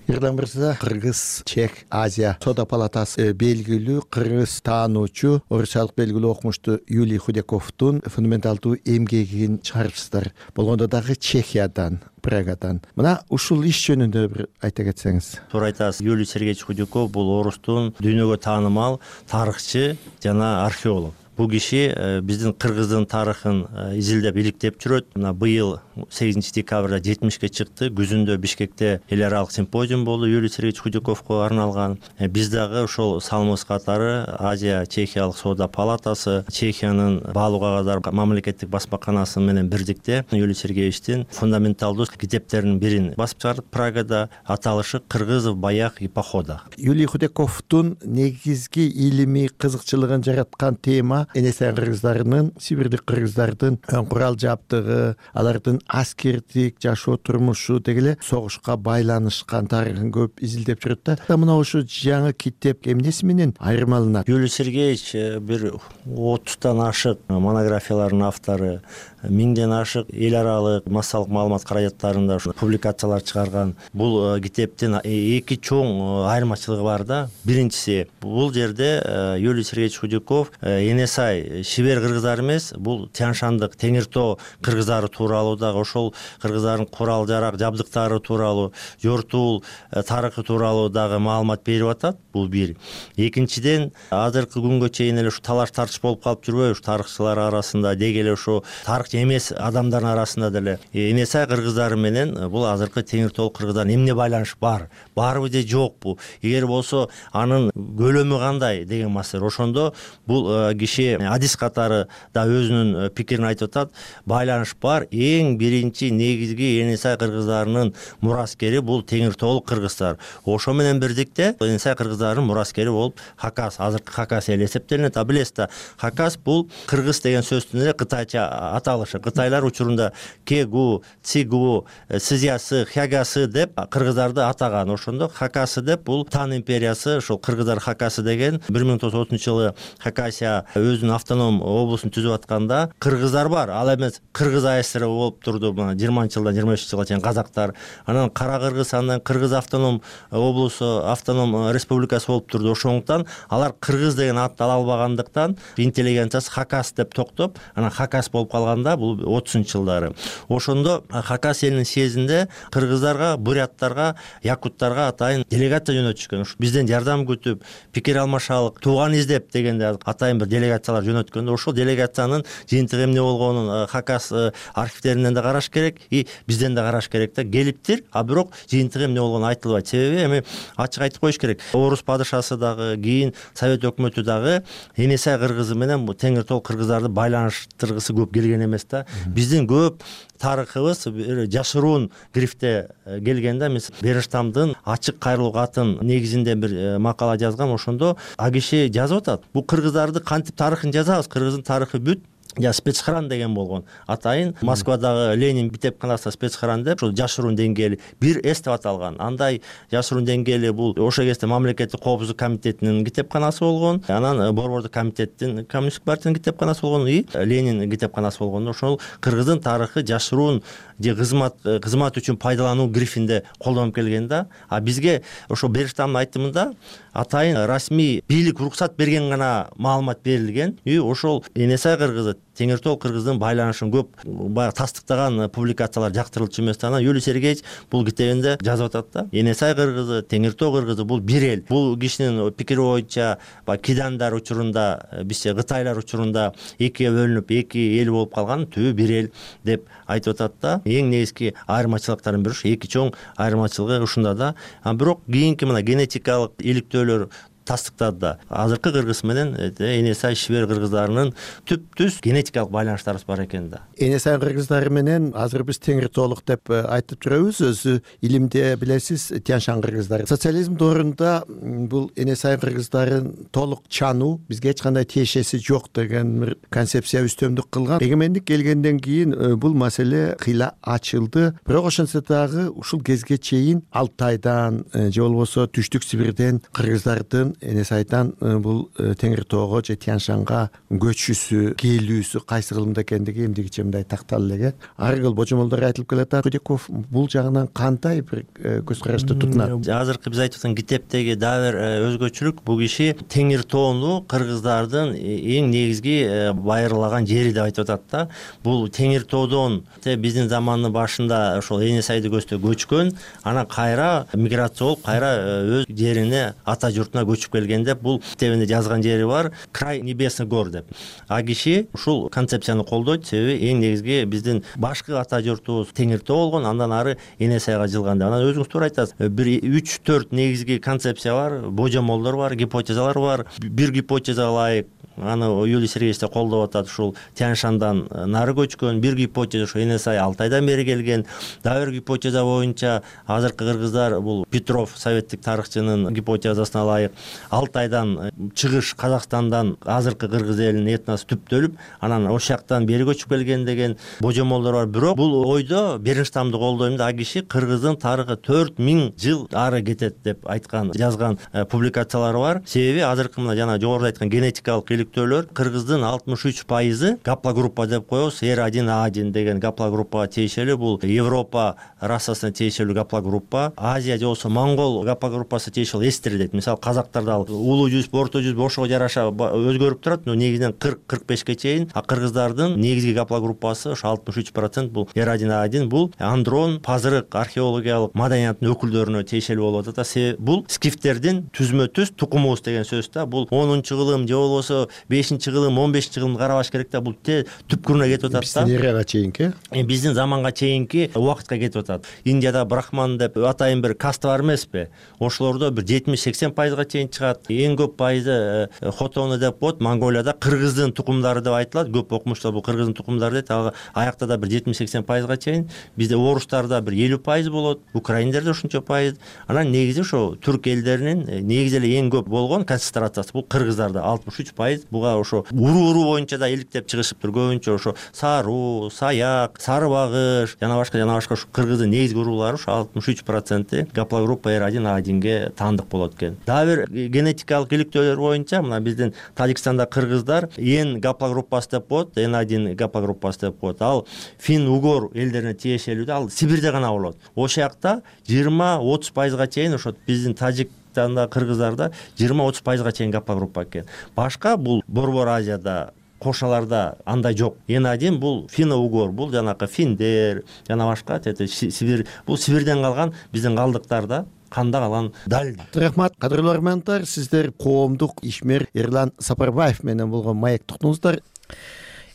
Ирдан Мырза, Кыргыз, Чех, Азия Сода палатасы белгилүү кыргыз таануучу, орусчалык белгилүү окумушту Юлий Худяковдун фундаменталдуу эмгегин чыгарыпсыздар. Болгондо дагы Чехиядан, Прагадан. Мына ушул иш жөнүндө бир айта кетсеңиз. Туура айтасыз. Юлий Сергеевич Худяков бул орустун дүйнөгө таанымал тарыхчы жана археолог. Бул киши биздин кыргыздын тарыхын изилдеп иликтеп жүрөт. Мына быйыл сегизинчи декабрда жетимишке чыкты. Күзүндө Бишкекте эл аралык симпозиум болду Юлий Сергеевич Худяковго арналган. Биз дагы ошол салымыбыз катары Азия Чехиялык соода палатасы, Чехиянын баалуу кагаздар мамлекеттик басмаканасы менен бирдикте Юлий Сергеевичтин фундаменталдуу китептеринин бирин басып чыгардык Прагада. Аталышы Кыргызов баяк и похода. Юлий Худяковдун негизги илимий кызыкчылыгын жараткан тема энесен кыргыздарынын, сибирдик кыргыздардын курал жабдыгы, алардын аскердик жашоо турмушу дегеле согушка байланышкан тарыхын көп изилдеп жүрөт да. Мына ошо жаңы китеп эмнеси менен айырмаланат? Юлий Сергеевич бир отуздан ашык монографиялардын автору, миңден ашык эл аралык массалык маалымат каражаттарында ушу публикациялар чыгарган. Бул китептин эки чоң айырмачылыгы бар да. Биринчиси, бул жерде Юрий Сергеевич Худяков Энесай шибер кыргыздар эмес, бул Тянь-Шандык Теңир Тоо кыргыздары тууралуу дагы, ошол кыргыздардын курал жарак жабдыктары тууралуу, жортуул тарыхы тууралуу дагы маалымат берип атат. Бул бир. Экинчиден, азыркы күнгө чейин эле ушу талаш тартыш болуп калып жүрбөйбү ушу тарыхчылар арасында, деги эле ушу тарыхчы эмес адамдардын арасында деле Энесай кыргыздары менен бул азыркы Теңир Тоол кыргыздардын эмне байланышы бар, барбы же жокпу, эгер болсо анын көлөмү кандай деген маселе. Ошондо бул киши адис катары да өзүнүн пикирин айтып атат. Байланыш бар. Эң биринчи негизги Энесай кыргыздарынын мураскери бул Теңир Тоол кыргыздар. Ошо менен бирдикте Энесай кыргыздарынын мураскери болуп Хакас, азыркы Хакас эле эсептелинет. А билесиз да, Хакас бул кыргыз деген сөздүн эле кытайча аталышы. Кытайлар учурунда Кегу, Цигу, Сызясы, Хягасы деп кыргыздарды атаган. Ошондо Хакасы деп бул Тан империясы, ошол кыргыздар Хакасы деген бир миң тогуз жүз отузунчу жылы Хакасия өзүнүн автоном облусун түзүп атканда кыргыздар бар, ал эмес Кыргыз АСР болуп турду жыйырманчы жылдан жыйырма бешинчи жылга чейин казактар. Анан Кара Кыргыз, андан Кыргыз автоном облусу, автоном республикасы болуп турду. Ошондуктан алар кыргыз деген атты ала албагандыктан интеллигенциясы Хакас деп токтоп, анан Хакас болуп калганда бул отузунчу жылдары. Ошондо Хакас элинин съездинде кыргыздарга, буряттарга, якуттарга атайын делегация жөнөтүшкөн. Бизден жардам күтүп, пикир алмашалык, тууган издеп дегенде атайын бир делегациялар жөнөткөндө, ошол делегациянын жыйынтыгы эмне болгонун Хакас архивдеринен да караш керек, и бизден да караш керек да. Келиптир, а бирок жыйынтыгы эмне болгону айтылбайт. Себеби эми ачык айтып коюш керек. Орус падышасы дагы, кийин Совет өкмөтү дагы Энесай кыргызы менен бул Теңир Тоол кыргыздарды байланыштыргысы көп келген эмес да. Биздин көп тарыхыбыз жашыруун грифте келгенде, эмес Бериштамдын ачык кайрылуу катын негизинде бир макала жазгам. Ошондо а киши жазып атат. Бул кыргыздарды кантип тарыхын жазабыз? Кыргыздын тарыхы бүт я спецхран деген болгон. Атайын Москвадагы Ленин китепканасында спецхран деп ошол жашыруун деңгээли бир эс деп аталган. Андай жашыруун деңгээли бул ошол кезде мамлекеттик коопсуздук комитетинин китепканасы болгон. Анан борбордук комитеттин коммунисттик партиянын китепканасы болгон, и Ленин китепканасы болгон. Ошол кыргыздын тарыхы жашыруун же кызмат кызмат үчүн пайдалануу грифинде колдонуп келген да. А бизге ошо Бериштамдын айтымында атайын расмий бийлик уруксат берген гана маалымат берилген. И ошол Энесай кыргызы Теңир Тоол кыргыздын байланышын көп баягы тастыктаган публикациялар жактырылчу эмес. Анан Юрий Сергеевич бул китебинде жазып атат да. Энесай кыргызы, Теңир Тоо кыргызы бул бир эл. Бул кишинин пикири боюнча баягы кидандар учурунда, бизче кытайлар учурунда экиге бөлүнүп, эки эл болуп калган, түбү бир эл деп айтып атат да. Эң негизги айырмачылыктардын бири ушу, эки чоң айырмачылыгы ушунда да. А бирок кийинки мына генетикалык иликтөөлөр тастыктады да. Азыркы кыргыз менен Энесай шибер кыргыздарынын түп-түз генетикалык байланыштарыбыз бар экен да. Энесай кыргыздары менен азыр биз Теңир Тоолук деп айтып жүрөбүз. Өзү илимде билесиз Тянь-Шань кыргыздары. Социализм доорунда бул Энесай кыргыздарын толук чануу, бизге эч кандай тиешеси жок деген бир концепция үстөмдүк кылган. Эгемендик келгенден кийин бул маселе кыйла ачылды. Бирок ошентсе дагы ушул кезге чейин Алтайдан же болбосо Түштүк Сибирден кыргыздардын Энесайдан бул Теңир Тоого же Тянь-Шаньга көчүүсү, келүүсү кайсы кылымда экендиги эмдигиче мындай такталып элек. Ар кыл божомолдор айтылып келатат. Худяков бул жагынан кандай бир көз карашты тутунат? Азыркы биз айтып аткан китептеги дагы бир өзгөчөлүк, бул киши Теңир Тоону кыргыздардын эң негизги байырлаган жери деп айтып атат да. Бул Теңир Тоодон биздин замандын башында ошол Энесайды көздөп көчкөн, анан кайра миграция болуп, кайра өз жерине, ата журтуна көчүп келгенде бул китебинде жазган жери бар, Край Небесный гор деп. А киши ушул концепцияны колдойт, себеби эң негизги биздин башкы ата журтубуз Теңир Тоо болгон, андан ары Энесайга жылган. Анан өзүңүз туура айтасыз. Бир үч төрт негизги концепция бар, божомолдор бар, гипотезалар бар. Бир гипотезага ылайык аны Юрий Сергеевич колдоп атат, ушул Тянь-Шаньдан нары көчкөн. Бир гипотеза ушу Энесай Алтайдан бери келген. Дагы бир гипотеза боюнча азыркы кыргыздар бул Петров советтик тарыхчынын гипотезасына ылайык Алтайдан чыгыш, Казакстандан азыркы кыргыз элинин этносу түптөлүп, анан ошол жактан бери көчүп келген деген божомолдор бар. Бирок бул ойдо Бериштамды колдойм да, киши кыргыздын тарыхы төрт миң жыл ары кетет деп айткан, жазган публикациялары бар. Себеби азыркы мына жана жогоруда айткан генетикалык иликтөөлөр кыргыздын алтымыш үч пайызы гаплогруппа деп коебуз. эр один а один деген гаплогруппага тиешелүү. Бул Европа расасына тиешелүү гаплогруппа. Азия же болбосо монгол гаплогруппасы тиешелүү эстер дейт. Мисалы казактарда улуу жүз, орто жүз ошого жараша өзгөрүп турат. Но негизинен кырк кырк бешке чейин. А кыргыздардын негизги гаплогруппасы ошо алтымыш үч процент бул эр один а один. Бул андрон, пазырык, археологиялык маданияттын өкүлдөрүнө тиешелүү болуп атат. Себеби бул скифтердин түзмө түз тукумубуз деген сөз да. Бул онунчу кылым же болбосо бешинчи кылым, он бешинчи кылымды карабаш керек да. Бул түпкүрүнө кетип атат да. Биздин эрага чейинки? Биздин заманга чейинки убакытка кетип атат. Индияда брахман деп атайын бир каста бар эмеспи? Ошолордо бир жетимиш сексен пайызга чейин чыгат. Эң көп пайызы хотону деп коет. Монголияда кыргыздын тукумдары деп айтылат. Көп окумуштар бул кыргыздын тукумдары дейт. Ага аякта да бир жетимиш сексен пайызга чейин. Бизде орустарда бир элүү пайыз болот. Украиндерде ушунча пайыз. Анан негизи ошо түрк элдеринин негизи эле эң көп болгон концентрациясы бул кыргыздарда алтымыш үч пайыз. Буга ошо уру-уру боюнча да иликтеп чыгышыптыр. Көбүнчө ошо саруу, саяк, сары багыш, жана башка жана башка ушу кыргыздын негизги уруулары ушу алтымыш үч проценти гаплогруппа эр один а одинге таандык болот экен. Дагы бир генетикалык иликтөөлөр боюнча мына биздин Тажикстанда кыргыздар эн гаплогруппасы деп коет, эн один гаплогруппасы деп коет. Ал фин-угор элдерине тиешелүү да, ал Сибирде гана болот. Ошол жакта жыйырма отуз пайызга чейин ошо биздин Тажикстанда кыргыздарда жыйырма отуз пайызга чейин гаплогруппа экен. Башка бул Борбор Азияда кошаларда андай жок. эн один бул фино-угор, бул жанакы финдер, жана башка Сибир, бул Сибирден калган биздин калдыктар да. Канда калган дал. Рахмат, кадырлуу армяндар, сиздер коомдук ишмер Эрлан Сапарбаев менен болгон маектуктуңуздар.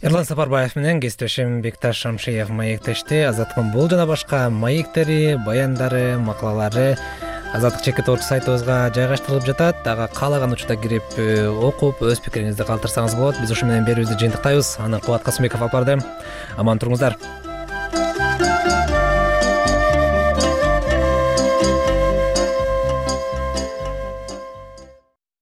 Эрлан Сапарбаев менен кесиптешим Бекташ Шамшиев маектешти. Азаттыктын бул жана башка маектери, баяндары, макалалары Азаттык чекит орг сайтыбызга жайгаштырылып жатат. Дагы каалаган учурда кирип окуп, өз пикириңизди калтырсаңыз болот. Биз ушу менен берүүбүздү жыйынтыктайбыз. Аны Кубат Касымбеков алып барды. Аман туруңуздар.